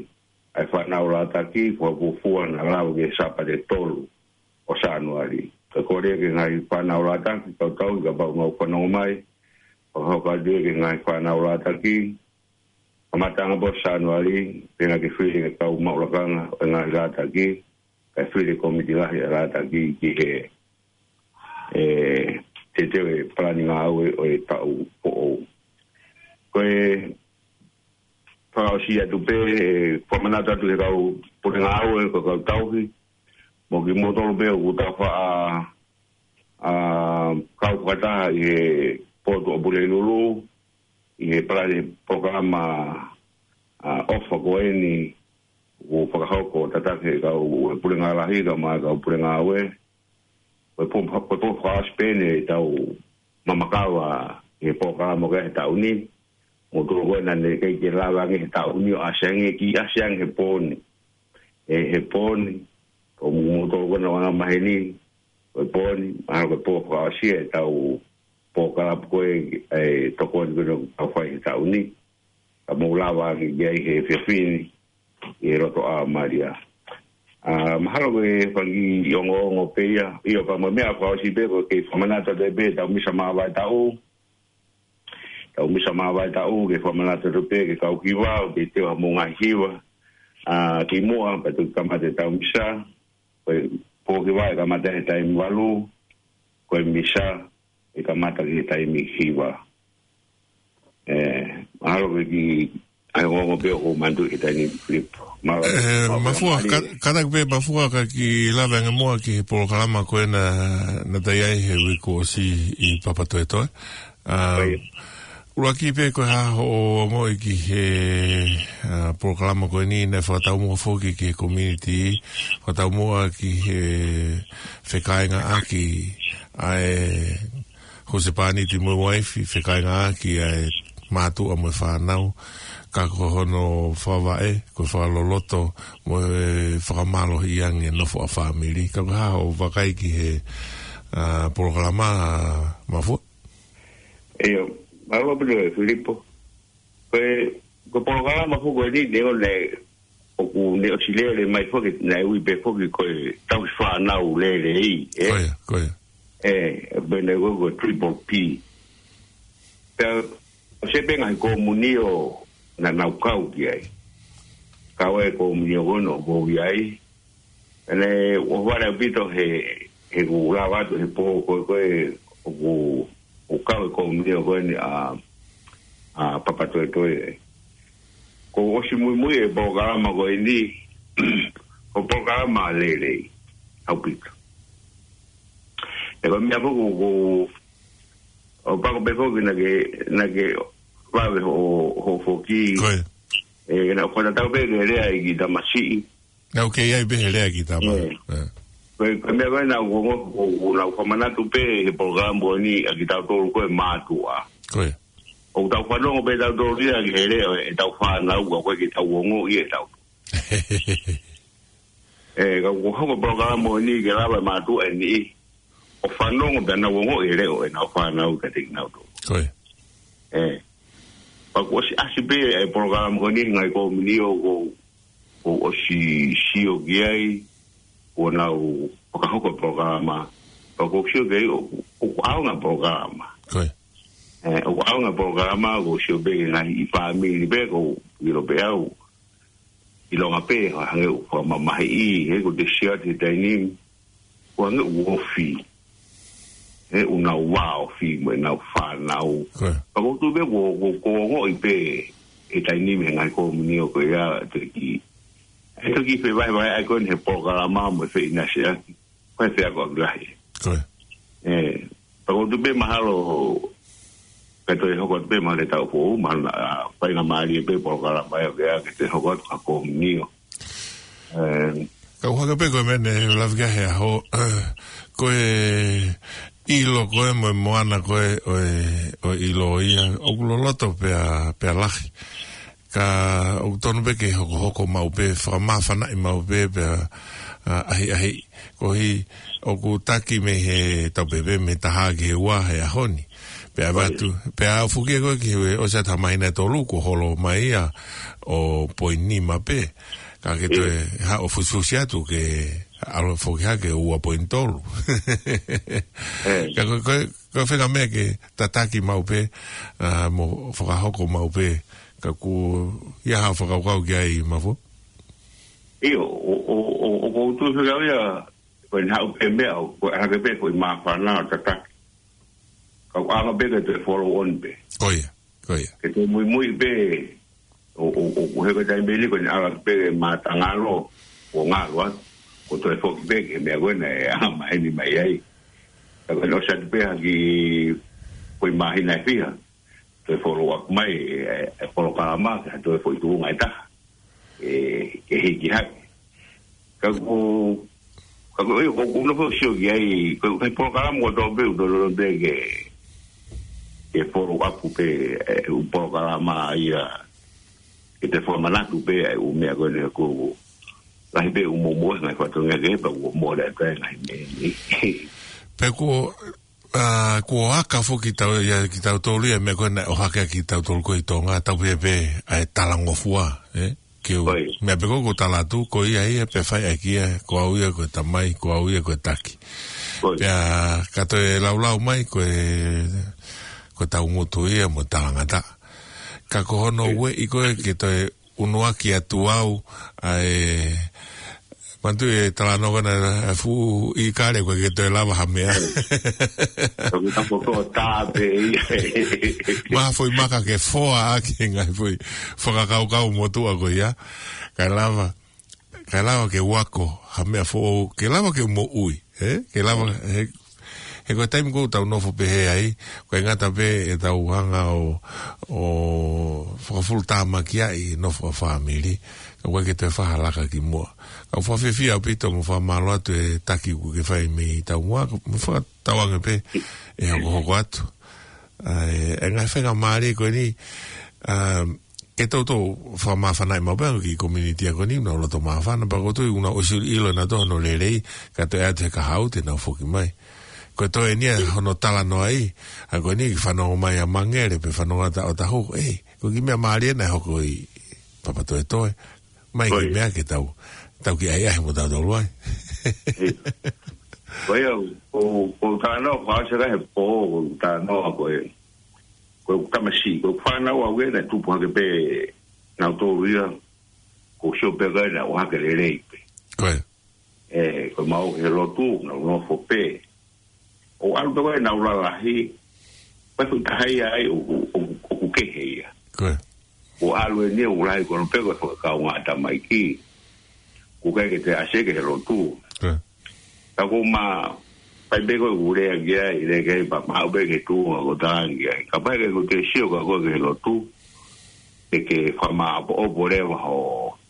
ʻa e fānau lātaki, fakafuofua naʻa lava ki he Sāpate tolu ʻo Sānuali. Ka kole ki he ngaahi fānau lātaki, kau tauhi kapau ʻoku nau fanongo mai, fakahoko atu ki he ngaahi fānau lātaki, kamataʻanga pē ʻo Sānuali, pea ke fili e kau maʻu lakanga ʻo e ngaahi lātaki, kae fili e kōmiti lahi ʻa e lātaki ki he, ʻe, teuteu e palani ngāue ʻo e taʻu foʻou. Ko e fakaʻosi atu pē, ʻe, fakamanatu atu ki he kau pule ngāue, ko e kau tauhi, mo kimoutolu pē ʻoku tau faʻa, ʻa, kau fakataha ʻi he potu ʻo Pulelulu, ʻi he palani polokalama, ʻa, ʻofa ko eni, ʻoku fakahoko tataki ʻe he kau, ʻe he pule ngāue lahi, kae ʻumaʻā e kau pule ngāue. Ko e pō, ko e pō fakaʻosi pē eni ʻetau mamakava ʻi he polokalama ko ē he taʻu ni. Moutolu ko ē naʻa ne ʻikai ke lava ange he taʻu ni ʻo ʻasi ange, kiʻi ʻasi ange he pō ni. ʻE, he pō ni, ko moutolu ko ē naʻa nau anga maheni, ko e pō ni, mahalo ko e pō fakaʻosi ʻetau polokalama ko ē, ʻe, tokoni ko ē naʻa tau fai he taʻu ni. Ka mou lava ange ki ai he efiafi ni. ʻi he loto ʻa Malia. ʻA, mahalo ko e fanga kiʻi ongoongo pē ia, ʻio pea mo e meʻa fakaʻosi pē ko e kei fakamanatu atu pē ʻetau misa māvae taʻu. ʻEtau misa māvae taʻu, kei fakamanatu atu pē ki he kau hiva, ʻoku kei teu ha moʻunga hiva. ʻA, kimuʻa, pea toki kamata ʻetau misa, ko e pō hiva ʻe kamata he taimi valu, ko e misa, ʻe kamata ki he taimi hiva. ʻE, mahalo ko e kiʻi, ʻa e ongoongo pē ʻoku ou manatuʻi he taimi ni Filipo. Mālō, ʻE, mālō, Mafua, mālō. Ka-, kātaki pē Mafua ka kiʻi lave ange muʻa ki he polokalama ko ē naʻa, naʻa tau ʻi ai he uike kuo ʻosi ʻi Papatoetoe. ʻA, ʻIo. ʻUluaki pē ko e hā hoʻo ongoʻi ki he, ʻa, polokalama ko eni naʻe fakataumuʻa foki ki he community, fakataumuʻa ki he fekāingaʻaki ʻa e husepāniti mo e uaifi, fekāingaʻaki ʻa e mātuʻa mo e fānau, ka ko hono fakavaʻe, ko e fakaloloto mo e fakamālohiʻi ange nofo ʻa fāmili. Ka ko e hā hoʻo vakai ki he, ʻa, polokalama, ʻa, Mafua? ʻIo, mālō pē Filipo. Ko e, ko e polokalama foki ko eni neongo naʻe, ʻoku ne ʻosi lele mai foki, naʻe ui pē foki ko e tauhi fānau lelei, ē? Ko ia, ko ia. ʻE, pē naʻe ui ko e triple P. Pea, ʻosi pē ngaahi komunio naʻa nau kau ki ai. Kau ai komunio ko ē naʻa ku ui ai. ʻEne, ʻohovale ʻaupito he, he kuo lava atu he pō ko ē, ko ē, ʻoku, ʻoku kau e komunio ko eni ʻa, ʻa Papatoetoe. Kuo ʻosi muimui e polokalama ko eni, ko e polokalama lelei, ʻaupito. ʻE ko e meʻa foki ʻoku, ʻoku pako pē foki naʻa ke, naʻa ke vave hoʻo, hoʻo foki. Ko ia. ʻE, naʻa ku tatau pē ke lea ʻi ki tamasiʻi. Naʻa ku kei ʻi ai pē he lea ki tama. ʻE. ʻE. Ko e, ko e meʻa ko ē naʻa ku ongo, ʻoku, ʻoku nau fakamanatu pē he polokalama ko eni ʻa kitautolu ko e mātuʻa. Ko ia. ʻOku tau fanongo pē tautolu ia ki he lea ʻetau fānau ka ʻoku ʻikai ke tau ongoʻi ʻe tautolu. ʻE, ka ʻoku hoko polokalama ko eni ke lava e mātuʻa ʻe niʻihi ʻo fanongo pea nau ongoʻi e leʻo ʻenau fānau kiate kinautolu. Ko ia. ʻE. Pea kuo ʻosi ʻasi pē e polokalama ko eni he ngaahi komunio ʻoku, ʻoku ʻosi sio ki ai, ʻoku nau fakahoko e polokalama. Pea ʻoku sio ki ai ʻoku, ʻoku ʻaonga e polokalama. Ko ia. ʻE, ʻoku ʻaonga e polokalama, ʻoku sio pē ki he ngaahi fāmili pē, ʻoku ʻilo pē au. ʻIlonga pē, hangē ʻoku fakamamahiʻi, he ko e te siati he taimi ni, ʻoku hangē ʻoku ofi, he ʻoku nau vāofi mo ʻenau fānau. Ko ia. Ka ʻoku ou tui pē ʻoku, ʻoku, ʻoku ongoʻi pē he taimi ni he ngaahi komunio ko ia te ki. ʻE toki fevahevaheʻaki ko eni he polokalama mo e feʻinasiʻaki. Ko e feʻakoʻaki lahi. Ko ia. ʻE, pea ʻoku ou tui pē mahalo, ka toe hoko atu pē mahalo he taʻu foʻou, mahalo naʻa, ʻa, faingamālie pē polokalama ia ke, ke toe hoko atu ka komunio. ʻE. Ka ʻoku hake pē ko e meʻa ne lave ki ai he ʻaho, ko e ʻilo ko ē mo e moana ko ē ʻo e, ʻo e ʻilo ia, ʻoku loloto pea, pea lahi. Ka ʻoku tonu pē ke hokohoko maʻu pē, fakamāfanaʻi maʻu pē, pea, ʻa, ʻahiʻahiʻi. Koeʻuhi ʻoku taki mei he taupepē mei he taha ki he ua he ʻaho ni. Pea ʻave atu, pea ʻoku foki ko ē ki he ʻosi atu ha māhina ʻe tolu kuo holo mai ia ʻo poini nima pē. Ka ke toe haʻu ʻo fusifusi atu ke ʻalu foki hake ua poini tolu. Ka ko, ko, ko e feinga meʻa ke tataki maʻu pē, ʻa, mo fakahoko maʻu pē, ka ʻoku ʻi ai haʻo fakakaukau ki ai Mafua? ʻIo, ʻo, ʻo, ʻo, ʻoku ou tui fekau ia, ko e haʻu pē meʻa, ʻo, ko e hake pē, ko e māfana ʻo tataki. Ka ʻoku ʻaonga pē ke toe follow on pē. Ko ia, ko ia. Ke toe muimui pē, ʻo, ʻo, ʻo, ʻo he ko e taimi ni ko eni ʻalu pē ke mātangalo, ʻo ngalo atu, ko e toe foki pē ki he meʻa ko ē naʻe ʻaonga maheni mai ai. Ka ko eni ʻosi atu pē ha kiʻi, ko e māhina ʻe fiha, toe follow up mai, ʻe, ʻe polokalama, ke toe foʻi tuʻunga ʻe taha. ʻE, ke hiki hake. Ka ʻoku, ka ʻoku, ʻio, ʻoku ou nofo ʻo sio ki ai, ko e, ko e polokalama ʻoku tau pē, ʻoku tau pē ke, ke follow up pē, ʻe, ʻū polokalama ia, ke te fakamanatu pē, ʻe, ʻū meʻa ko eni ʻoku, lahi pē ʻū momoʻi, ngaahi fatongia ke, pea ʻoku mole atu ai ngaahi meʻa ni. Pea ko, ʻa, kuo aka foki tau, ia, kitautolu ia, meʻa ko ē naʻe ʻohake kiate kitautolu ko ē ʻi Tonga, taupepē, ʻa e talangofua, ē? Ke u, ʻIo. Meʻa pē ko ē ʻoku ou tala atu, ko ia ia pē fai ʻaki ia, ko au ia ko e tamai, ko au ia ko e taki. ʻIo. Pea ka toe laulau mai, ko e, ko e tau ngutu ia mo talangata. Ka ko hono ʻIo. Ueʻi ko ē ke toe unuaki atu au, ʻa e, manatu e talanoa ko ena ʻa e fuʻu ʻīkale ko ē ke toe lava ha meʻa. Ka ko e tapu ko tā pē ia. Maha foʻi maka ke foa ʻaki e ngaahi foʻi fakakaukau motuʻa ko ia. Kae lava, kae lava ke u ako ha meʻa foʻou, ke lava ke u moʻui, ē? Ke lava, he, he ko e taimi ʻoku tau nofo pehē ai, ʻoku ʻikai ngata pē ʻetau hanga ʻo, ʻo fakafulutāmaki ʻa e nofo ʻa e fāmili, ka ʻoku ʻikai ke toe fai ha laka ki muʻa. Ka ʻoku ou fakafiefia ʻaupito mo fakamālō atu e taki ʻoku ke fai mei taumuʻa, mo fakatauange pē ʻe hokohoko atu. ʻA e, e ngaahi faingamālie ko eni, ʻa, ke toutou fakamāfanaʻi maʻu pē ange ki he community ko eni, ʻoku nau loto māfana, pea ʻoku ou tui ʻoku nau ʻosi ʻilo ʻenautolu hono lelei, ka toe ʻatu he kahaʻu te nau foki mai. Ko e toe eni ia hono talanoa ʻi, ʻa ko eni ke fanongo mai ʻa Mangele, pe fanongo ʻa Taʻotahu, ē, ko e kiʻi meʻa mālie naʻe hoko ʻi Papatoetoe. Mai ki he ʻIo. Meʻa ke tau, tau kiʻi ʻahiʻahi mo tautolu ai. ʻIo. Ko ia, ʻoku, ʻoku ou talanoa, ʻoku ou ʻasi ʻa e pō, ʻoku ou talanoa ko e, ko e tamasiʻi, ko e fānau au ē naʻe tupu hake pē nautolu ia, ʻoku ou sio pē ko ē naʻe ʻohake lelei pē. Ko ia. Ē, ko e mau he lotu, nau nofo pē. ʻO ʻalu pē ko ē nau lalahi, pea ko e taha ia ai ʻoku, ʻoku, ʻoku kehe ia. Ko ia. ʻO ʻalu eni ʻoku lahi ko ē pē ko e fakakaungā tamaiki. ʻOku ʻikai ke toe ʻasi ki he lotu. Ko ia. Ka ko e meʻa, pea pehē ko e ʻoku ou lea ki ai, lea ki ai pea maʻu pē ke tuʻu ʻo tangi ai. Kapau ʻe ʻikai ke toe sio ka ko e ki he lotu, ʻe ke fakamāʻopoʻopo leva ho,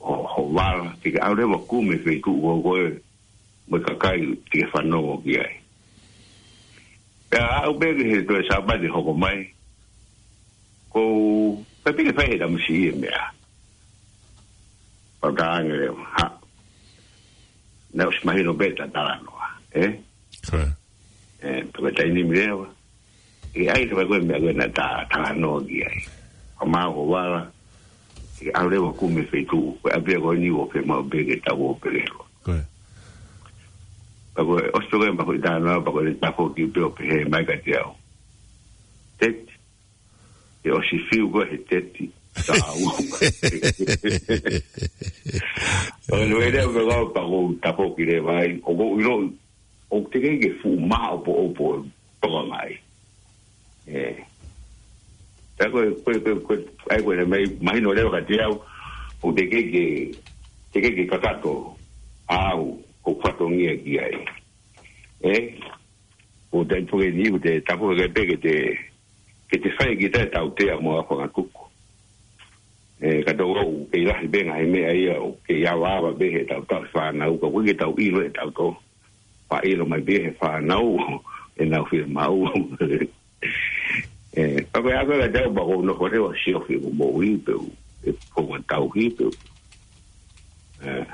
ho, ho vala, ke ke ʻalu leva ʻo kumi e feituʻu ko ē, mo e kakai te ke fanongo ki ai. Pea aʻu pē ki he toe Sāpate hoko mai, ʻoku ou, pea pehē ke fai he tamasiʻi e meʻa. Pea u talaange leva, ha. Naʻe ʻosi mahino pē ʻeta talanoa, ē? Ko ia. Ē, pea ko e taimi ni leva. ʻE ʻai leva ko e meʻa ko ē naʻa ta talanoa ki ai. Fakamāʻopoʻopo ho vala. ʻE ʻalu leva ʻo kumi e feituʻu. Ko e ʻapi ia ko eni ʻoku fiemaʻu pē ke tau ō pē leva. Ko ia. Pea ko e ʻosi pē ko ē ʻema foʻi talanoa, pea ko e tafoki pē ʻo pehē mai kiate au. Teti. ʻE ʻosi fiu ko ē he teti. Tāua. ʻO ne wele au pē kau pea ʻoku ou tafoki leva ai. ʻOku ou ʻilo, ʻoku teʻeki ke fuʻu māʻopoʻopo toka mai. Ē. Pea ko e, ko e, ko e, ko e, ʻai ko e mai, mahino leva kiate au, ʻoku teʻeki ke, teʻeki ke kakato au, ʻoku ou fatongia ki ai. Ē? ʻOku te ʻai pē ke ni, ʻoku te tapu ke pehē ke te, ke te fai ki he tautea mo e fakatuku. Ē, ka tau ʻoku kei lahi pē ngaahi meʻa ia, ʻoku kei avaava pē he tau tauhi fānau, ka ʻoku ʻikai ke tau ʻilo ʻe tautolu. Pea ʻilo mai pē he fānau, ʻenau fiemaʻu. Ē, ka ko e ako ka tau pea ʻoku ou nofo leva ʻo siofi ʻeku moʻui pē u, ʻeku founga tauhi pē u. Ē,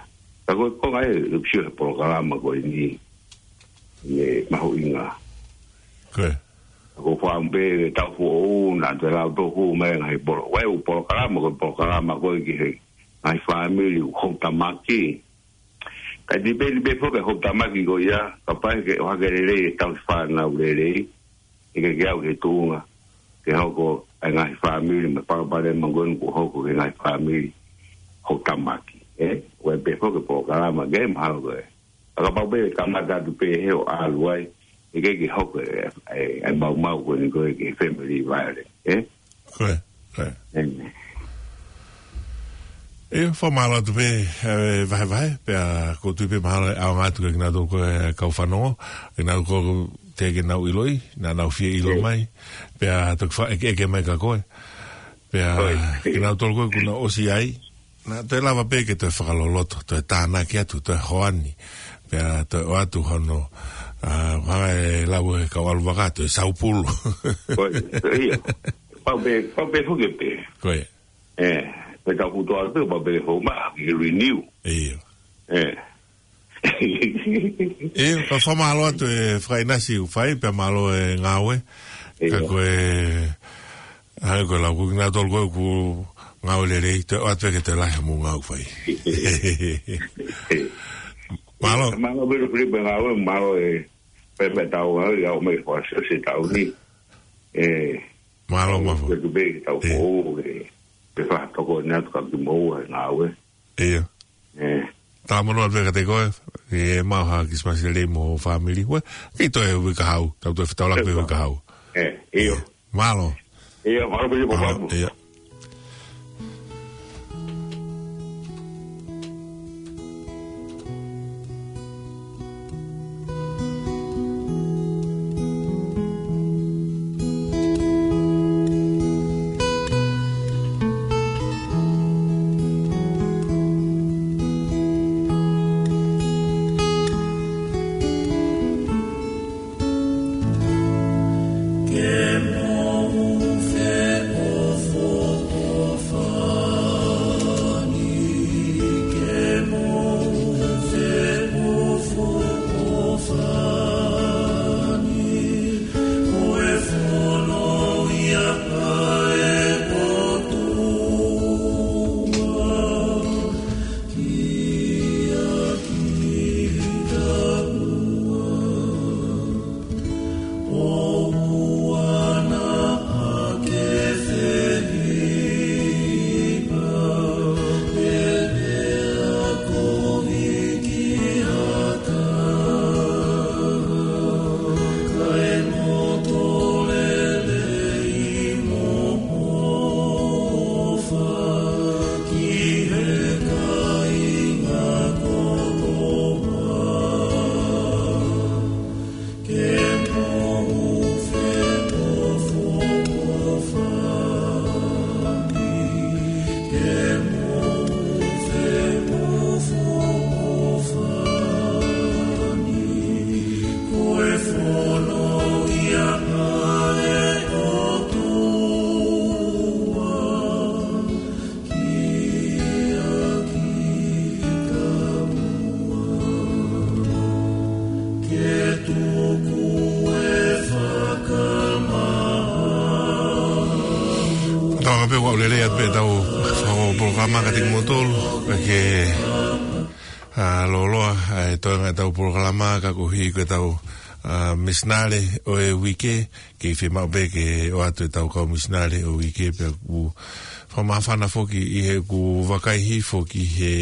ka ko e konga ē, ʻeku sio he polokalama ko eni, ʻe mahuʻinga. Ko ia. Ka ʻoku ou fakaʻamu pē ke tau foʻou, naʻa toe lau tō hū mai ngaahi polo-, ʻa e ʻū polokalama, ko e polokalama ko ē ki he ngaahi fāmili ʻoku houtamaki. Ka dipeni pē foki e houtamaki ko ia, kapau ʻe ʻohake lelei e tauhi fānau lelei, ʻe ʻikai ke aʻu ki he tuʻunga ke hoko ʻa e ngaahi fāmili mo e palopalema ko eni ʻoku hoko ki he ngaahi fāmili houtamaki, ē? ʻOku ʻi ai pē foki e polokalama ke mahalo ko ē. Ka kapau pē ʻe kamata atu pē he ʻo ʻalu ai, ʻe ʻikai ke hoko e, e, e maumau ko eni ko ē ki he family violence, ē? Ko ia, ko ia. Ē. ʻE, fakamālō atu pē, ē, vahevahe, pea ʻoku ou tui pē mahalo ʻe ʻaonga atu kiate kinautolu ko ē kau fanongo, kinautolu ko ē teʻeki ke nau ʻiloʻi, naʻa nau fie ʻilo mai, pea toki faʻa ʻeke, ʻeke mai kia koe. Pea, ko ia, kinautolu ko ē kuo nau ʻosi ʻai, naʻa toe lava pē ke toe fakaloloto, toe tānaki atu, toe hoani, pea toe ʻoatu hono, ʻa, hanga ʻe he lau ʻa e kau ʻalu vaka, toe saupulu. Ko ia, ko ia. Pau pē, pau pē foki pē. Ko ia. Ē, pea tau putoʻi pē, pau pē hou ma, ke renew. ʻIo. Ē. ʻIo, ka fakamālō atu e fakaʻinasi ʻoku fai, pea mālō e ngāue. ʻIo. Ka ko e, hangē ko e lau ko ē kinautolu ko ē ʻoku Ngāue lelei, toe ʻoatu pē ke toe lahi hoʻomou ngāue fai. Mālō. Mālō Bilu Filipe ngāue, mālō e pepe tau ngāue, au mai fasi o se tau ni. E, mālō Mafo. Ke tu pē tau fou, e, pe fa toko ni atu ka ki mou e ngāue. Ia. E. Tāmono atu pē kiate koe, e mau ha Christmas lelei mo e fāmili. Ue, ki toe uike kahaʻu, tau toe fetaulaki pē uike kahaʻu. E, io. Mālō. Ia, mālō pē. Mālō, ia. Tau anga pē ua ulele atu pē tau fakaʻo polokalama ka tiki motolu, ka ke, a, loloa, a, e toenga tau polokalama ka kohi ko e tau, a, misinale ʻo e uike, ke i fiemaʻu pē ke ʻoatu e tau kau misinale ʻo e uike pea ku fakamāfana foki ʻi he ku vakai hifo ki he,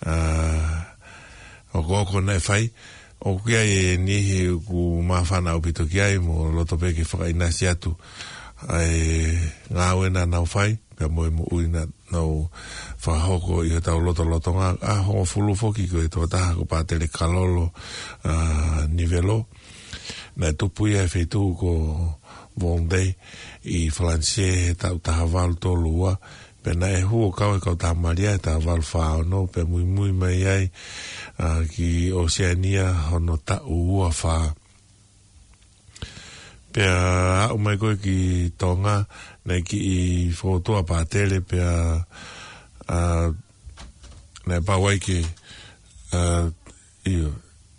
a, ʻoku, ʻoku naʻe fai, ʻoku ʻi ai e niʻihi ʻoku māfana ʻaupito ki ai mo loto pē ke fakaʻinasi atu ʻa e ngāue naʻa nau fai, pea mo e moʻui naʻa nau fakahoko ʻi hotau lotolotonga. ʻAho hongofulu foki ko e tokotaha ko Pātele Kalolo, a, Nivelo. Naʻe tupu ia he feituʻu ko Vendée ʻi Falanisē he taʻu taha valu tolu ua, pea naʻe hū ʻo kau he Kautaha Malia he taha valu fā ono, pea muimui mai ai, a, ki ʻOseania hono taʻu ua fā. Pea aʻu mai ko ē ki Tonga, naʻe kiʻi fokotuʻu ʻa Pātele pea, a, naʻe pau ai ke, a, ʻio,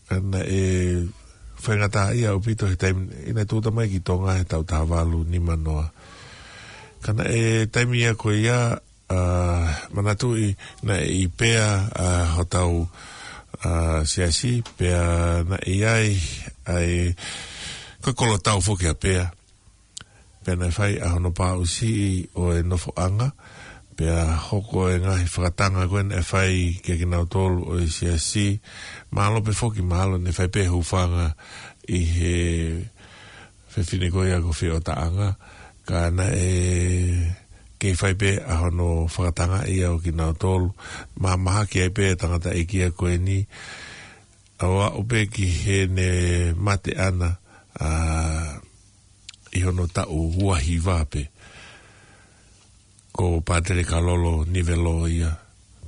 ka naʻe faingataʻaʻia ʻaupito he taimi, ʻi naʻe tūʻuta mai ki Tonga he taʻu taha valu nima noa. Ka naʻe taimi ia ko ia, a, manatuʻi naʻe ʻi Pea, a, hotau, a, siasi, pea naʻe ʻi ai, ʻa e, ko e kolotau foki ʻa Pea. Pea naʻe fai ʻa hono pāʻusiʻi ʻo e nofoʻanga, pea hoko e ngaahi fakatanga ko ē naʻe fai kia kinautolu ʻo e siasi, mahalo pē foki, mahalo naʻe fai pē hūfanga ʻi he fefine ko ia ko Feʻotaʻanga, ka naʻe kei fai pē ʻa hono fakatangaʻi ʻo kinautolu, mahamahaki ai pē tangataʻeiki ia ko eni, ʻo aʻu pē ki heʻene mate ʻana, a, ʻi hono taʻu ua hiva pē. Ko Pātele Kalolo Nivelo ia,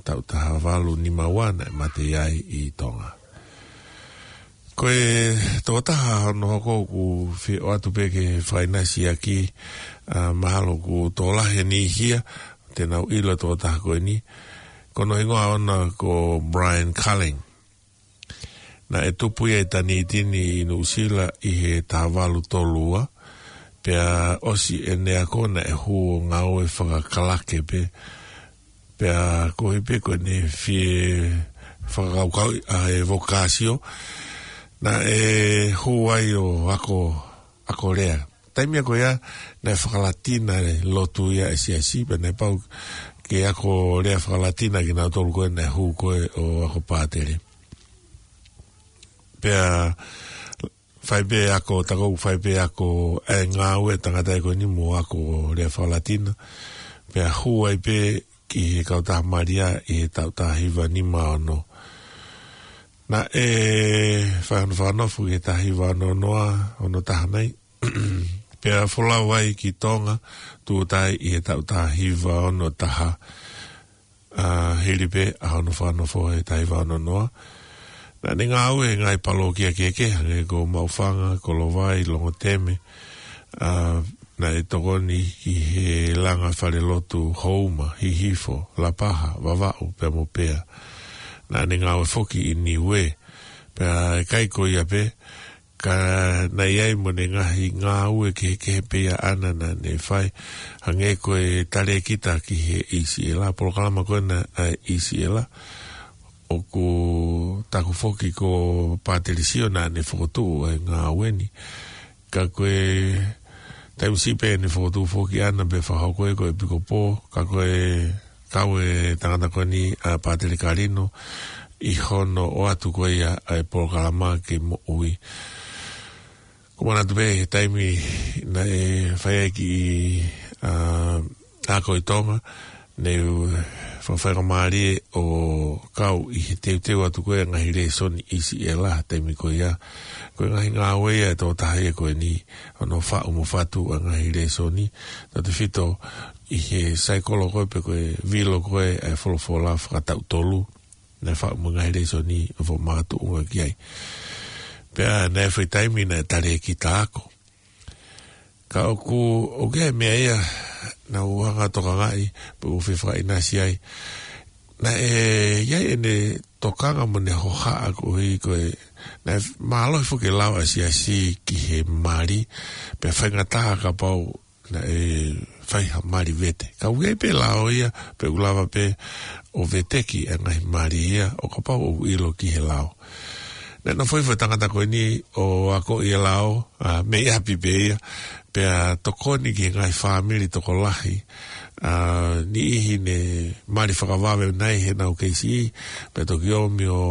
taʻu taha valu nima ua naʻe mate ai ʻi Tonga. Ko e tokotaha hono hoko ʻoku fie ʻoatu pē ke fakaʻinasi ʻaki, a, mahalo ʻoku tokolahi e niʻihi ia te nau ʻilo e tokotaha ko eni. Ko hono hingoa ʻoʻona ko Brian Cullings. Naʻe tupu ia ʻi Tanitini ʻi Nuʻusila ʻi he taha valu tolu ua, Pea ʻosi ʻene ako naʻe hū ʻo ngāue fakakalake pē. Pea koeʻuhi pē ko ʻene fie fakakaukauʻi ʻa e vokāsio, naʻe hū ai ʻo ako, ako lea. Taimi ko ia, naʻe fakalatina e lotu ia ʻa e siasi, pea naʻe pau ke ako lea fakalatina kinautolu ko ē naʻe hū ko ē ʻo ako pātele. Pea fai pē ako, tā ko ē fai pē ako e ngāue tangata ko eni mo ako lea fakalatina. Pea hū ai pē ki he kautaha Malia ʻi he taʻu taha hiva nima ono. Naʻe fai hono fakanofo ki he taha hiva ono noa, ono taha nai. Pea folau ai ki Tonga, tūʻuta ai ʻi he taʻu taha hiva ono taha. ʻA, hili pē ʻa hono fakanofo he taha hiva ono noa. Naʻa ne ngāue he ngaahi palōkia kehekehe, hangē ko Maʻufanga, Kolovai, Longoteme, ʻa, naʻe tokoni ki he langa falelotu Houma, Hihifo, Lapaha, Vavaʻu, pea mo Pea. Naʻa ne ngāue foki ʻi Niue, pea ʻikai ko ia pē, ka naʻe ʻi ai mo ʻene ngaahi ngāue kehekehe pē ia ʻaʻana naʻa ne fai, hangē ko e talēkita ki he ʻIsiʻela, polokalama ko ena ʻa e ʻIsiʻela, ʻoku taku foki ko Pātele Sio naʻa ne fokotuʻu e ngāue ni. Ka ko e taimi siʻi pē ʻene fokotuʻu foki ʻaʻana pea fakahoko ia ko e ʻepikopō, ka ko e kau e tangata ko eni ʻa Pātele Kalino ʻi hono ʻoatu ko ia ʻa e polokalama ke moʻui. Ko e manatu pē he taimi naʻe fai ai e kiʻi, ʻa, ako ʻi Tonga, naʻe fakafaingamālie ʻo kau ʻi he teuteu atu ko ē ngaahi lēsoni ʻIsiʻela he taimi ko ia. Ko e ngaahi ngāue ia ʻa e tokotaha ia ko eni, hono faʻu mo fatu ʻa e ngaahi lēsoni, tautefito ʻi he saikolo ko ē pe ko e vilo ko ē ʻa e folofola fakataʻu tolu. Naʻe faʻu mo e ngaahi lēsoni ʻo fakamakatuʻunga ki ai. Pea naʻe fai taimi naʻe talēkita ako. Ka ʻoku, ʻoku ʻi ai e meʻa ia naʻa ku hanga ʻo tokangaʻi, pe ʻoku ou fie fakaʻinasi ai. Naʻe ʻi ai ʻene tokanga mo ʻene hohaʻa koeʻuhi ko e, naʻe mālohi foki e lao ʻa e siasi ki he mali, pea faingataʻa kapau naʻe fai ha mali vete. Ka ʻoku ʻi ai pē lao ia, pe ʻoku lava pē ʻo veteki e ngaahi mali ia, ʻo kapau ʻoku ʻilo ki he lao. Naʻe nofo hifo e tangata ko eni ʻo akoʻi e lao, ʻa, mei ʻapi pē ia, pea tokoni ki he ngaahi fāmili tokolahi, ʻa, niʻihi ne mali fakavave nai heʻenau kei siʻi, pea toki ō mai ʻo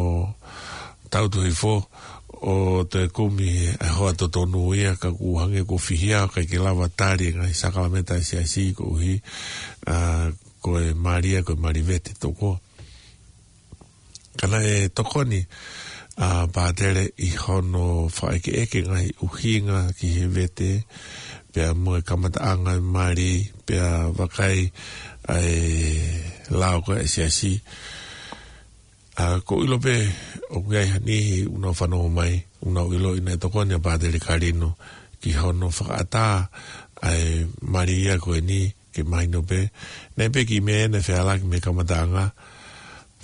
tautu hifo, ʻo toe kumi e hoa totonu ia, ka ʻoku hangē kuo fihia, ʻikai ke lava tali e ngaahi sākalamēniti ʻa e siasi koeʻuhi, ʻa, ko e mali ia, ko e mali vete toko. Ka naʻe tokoni ʻa Pātele ʻi hono fakaʻekeʻeke ngaahi ʻuhinga ki he vete, pea mo e kamataʻanga e mali, pea vakai ʻa e lao ko ē ʻa e siasi. ʻA, ʻoku ou ʻilo pē, ʻoku ʻi ai ha niʻihi ʻoku nau fanongo mai, ʻoku nau ʻiloʻi naʻe tokoni ʻa Pātele Kalino ki hono fakaʻatā ʻa e mali ia ko eni, ke mahino pē. Naʻe ʻi ai pē kiʻi meʻa naʻe fehālaaki mei he kamataʻanga,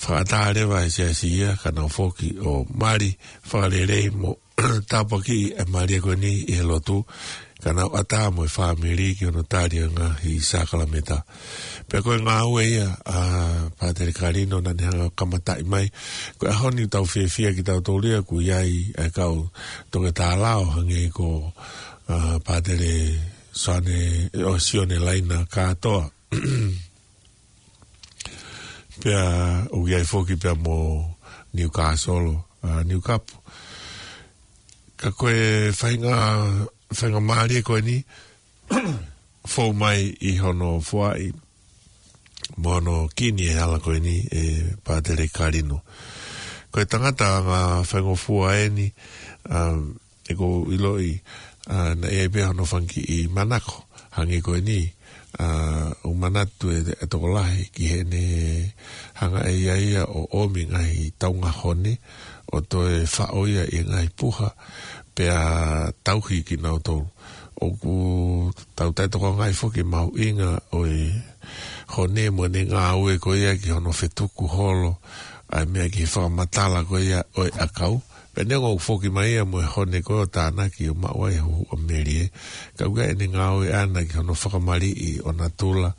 fakaʻatā leva ʻe he siasi ia, ka nau foki ʻo mali fakalelei mo tāpuakiʻi e mali ia ko eni ʻi he lotu, ka nau ʻatā mo e fāmili ki hono tali e ngaahi sākalamēniti. Pea ko e ngāue ia ʻa Pātele Kalino naʻa ne hanga ʻo kamataʻi mai. Ko e ʻaho ni ʻoku tau fiefia kitautolu ia ʻoku ʻi ai e kau toketā lao hangē ko, ʻa, Pātele Sione, ʻo Sione Laina Kātoa. Pea ʻoku ʻi ai foki pea mo Niukāsolo, ʻa, Niukapu. Ka ko e fainga, faingamālie ko eni, fou mai ʻi hono foaʻi mo hono kini e hala ko eni ʻe Pātele Kalino. Ko e tangata anga faingofua eni, ʻa, ʻoku ou ʻiloʻi, ʻa, naʻe ʻi ai pē hono fanga kiʻi manako, hangē ko eni, ʻa, ʻoku manatu e, e tokolahi ki heʻene hanga ʻe ia ia ʻo ʻomi ngaahi taunga hone, ʻo toe faʻo ia ʻi he ngaahi puha, pea tauhi kinautolu. ʻOku tau taʻetokangaʻi foki e mahuʻinga ʻo e hone mo ʻene ngāue ko ia ki hono fetuku holo ʻa e meʻa ki he fakamatala ko ia ʻo e ʻakau, Pea neongo ʻoku foki mai ia mo e hone ko ē ʻo tānaki ʻo maʻu ai e huhu ʻa Melie, ka ʻoku ʻi ai ʻene ngāue ʻana ki hono fakamaliʻi ʻo natula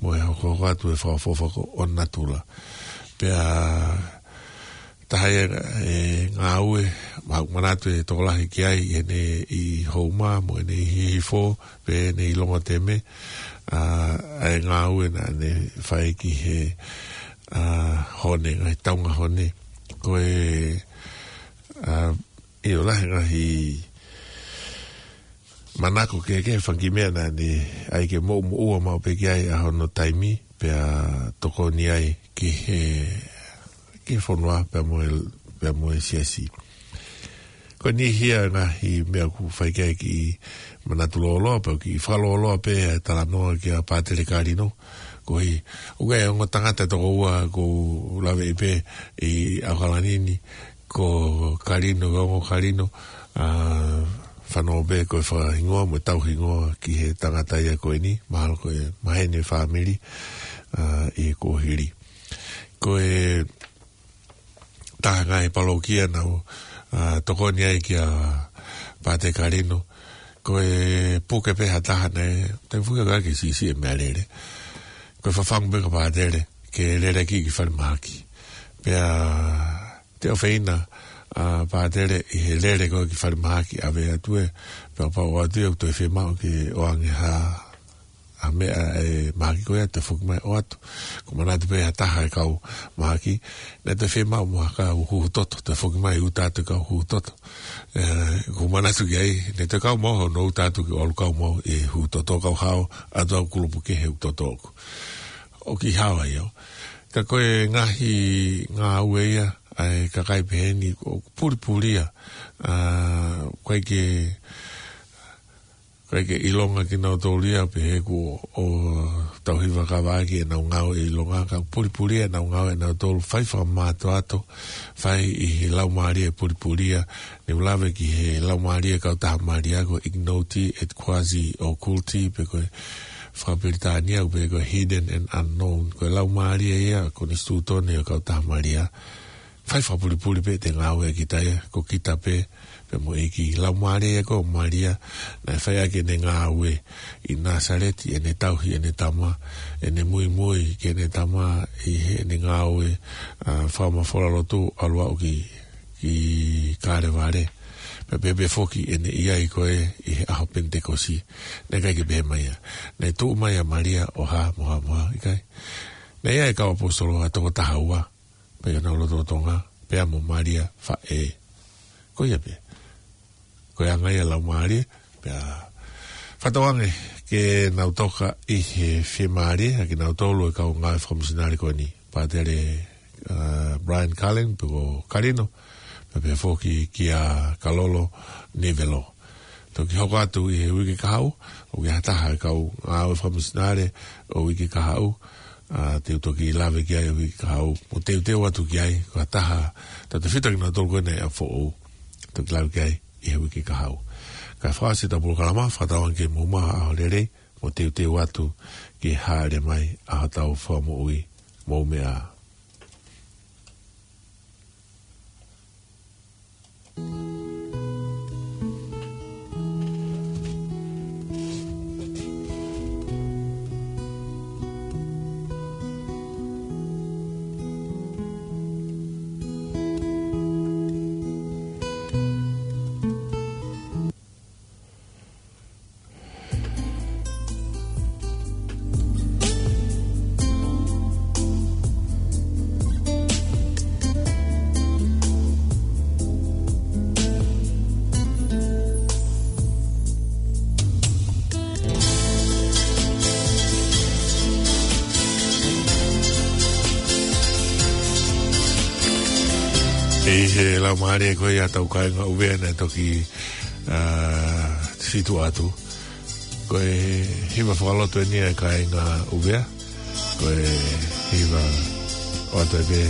mo e hokohoko atu e fakaʻofoʻofa ko ē ʻo natula. Pea taha ia e ngāue, ma-, manatu e tokolahi ki ai ʻi heʻene ʻi Houma mo ʻene ʻi Hihifo, pe ʻene ʻi Longoteme, ʻa, ʻa e ngāue naʻa ne fai ki he, ʻa, hone, ngaahi taunga hone. Ko e, ʻa, ʻio lahi ngaahi manako kehekehe, fanga kiʻi meʻa naʻa ne ʻai ke moʻumoʻua maʻu pē ki ai ʻa hono taimi, pea tokoni ai ki he, ki he fonua, pea mo e, pea mo e siasi. Ko e niʻihi ia e ngaahi meʻa ʻoku fai ki ai e kiʻi manatu lōloa, pea kiʻi fakalōloa pē e talanoa kia Pātele Kalino, koeʻuhi, ʻoku ʻi ai e ongo tangata toko ua ʻoku ou laveʻi pē ʻi ʻAokalani ni, ko Kalino, ko e ongo Kalino, ʻa, fanongo pē ko e fakahingoa mo e tauhingoa ki he tangata ia ko eni, mahalo ko e maheni e fāmili, ʻa, ʻi he kuohili. Ko e taha ngaahi palōkia naʻa ku, ʻa, tokoni ai kia Pātele Kalino, ko e puke pē ha taha naʻe, te fuke ka ke sisi e meʻalele. Ko e fafangu pē kia Pātele, ke lele ki, ki falemahaki. Pea te ofeina, ʻa, Pātele ʻi he lele ko ē ki falemahaki ʻave atu ē, pea pau atu ia ʻoku toe fiemaʻu ke ʻoange ha, ha meʻa e mahaki ko ia toe foki mai ʻoatu. Ko e manatu pē ha taha e kau mahaki, naʻe toe fiemaʻu mo ha kau huhu toto, toe foki mai ʻuta atu e kau huhu toto. ʻE, ko e manatu ki ai, naʻe toe kau maʻu hono ʻuta atu ki ʻalu kau maʻu e huhu toto kau hao, ʻatu au kulupu kehe huhu toto ʻoku. ʻOku ʻi hao ai au. Ka ko e ngaahi ngāue ia, ʻa e kakai pehē ni ʻoku pulipulia, ʻa, ʻoku ʻikai ke, ʻoku ʻikai ke ʻilonga kinautolu ia pehē kuo ʻosi tauhi vakavaʻaki ʻenau ngāue ʻi Longa, ka pulipulia ʻenau ngāue ʻanautolu, fai fakamātoato, fai ʻi he laumālie pulipulia, ne u lave ki he laumālie kautaha Malia ko e Ignoti et Quasi Occulti, pe ko e fakapilitānia, pe ko e Hidden and Unknown, ko e laumālie ia, konisitūtone ʻo e kautaha Malia. Fai fakapulipuli pē ʻete ngāue ʻa kita ia, ko kita pē, pea mo e ʻEiki. Laumālie ia ko Malia, naʻe fai ʻaki ʻene ngāue ʻi Nāsaleti, ʻene tauhi ʻene tama, ʻene muimui ki heʻene tama, ʻi heʻene ngāue, ʻa, fakamafola lotu, ʻalu aʻu ki, ki Kalevale. Pea pehē pē foki ʻene ʻi ai ko ē ʻi he ʻaho Penitekosi. Naʻe ʻikai ke pehē mai ia, naʻe tuʻu mai ʻa Malia ʻo hā, mo hā, mo hā, ʻikai. Naʻe ʻi ai e kau ʻaposetolo ʻe toko taha ua, pea ʻi honau lotolotonga, pea mo Malia faʻē. Ko ia pē. Ko e anga ia e laumālie, pea fakatauange ke nau toka ʻi he fiemālie, ʻa kinautolu e kau ngāue fakamisinale ko eni. Pātele, ʻa, Brian Cullen, pe ko Kalino, pea pehē foki kia Kalolo Nivelo. Toki hoko atu ʻi he uike kahaʻu, ʻoku ʻi ai ha taha e kau ngāue fakamisinale ʻo uike kahaʻu, ʻa, te u toki lave ki ai ʻi he uike kahaʻu, mo teuteu atu ki ai, ko ha taha, tautautefito kinautolu ko eni ʻa Foʻou, toki lave ki ai ʻi he uike kahaʻu. Kae fakaʻosi ʻetau polokalama, fakatauange ke mou maʻu ha ʻaho lelei, mo teuteu atu ki he hāʻele mai ʻa hotau Fakamoʻui, mou meʻa ā. ʻI he laumālie ko ia ʻetau kāinga ʻUvea naʻe toki, ā, fitu atu. Ko e hiva fakalotu eni ʻa e kāinga ʻUvea. Ko e hiva ʻoatu ē pē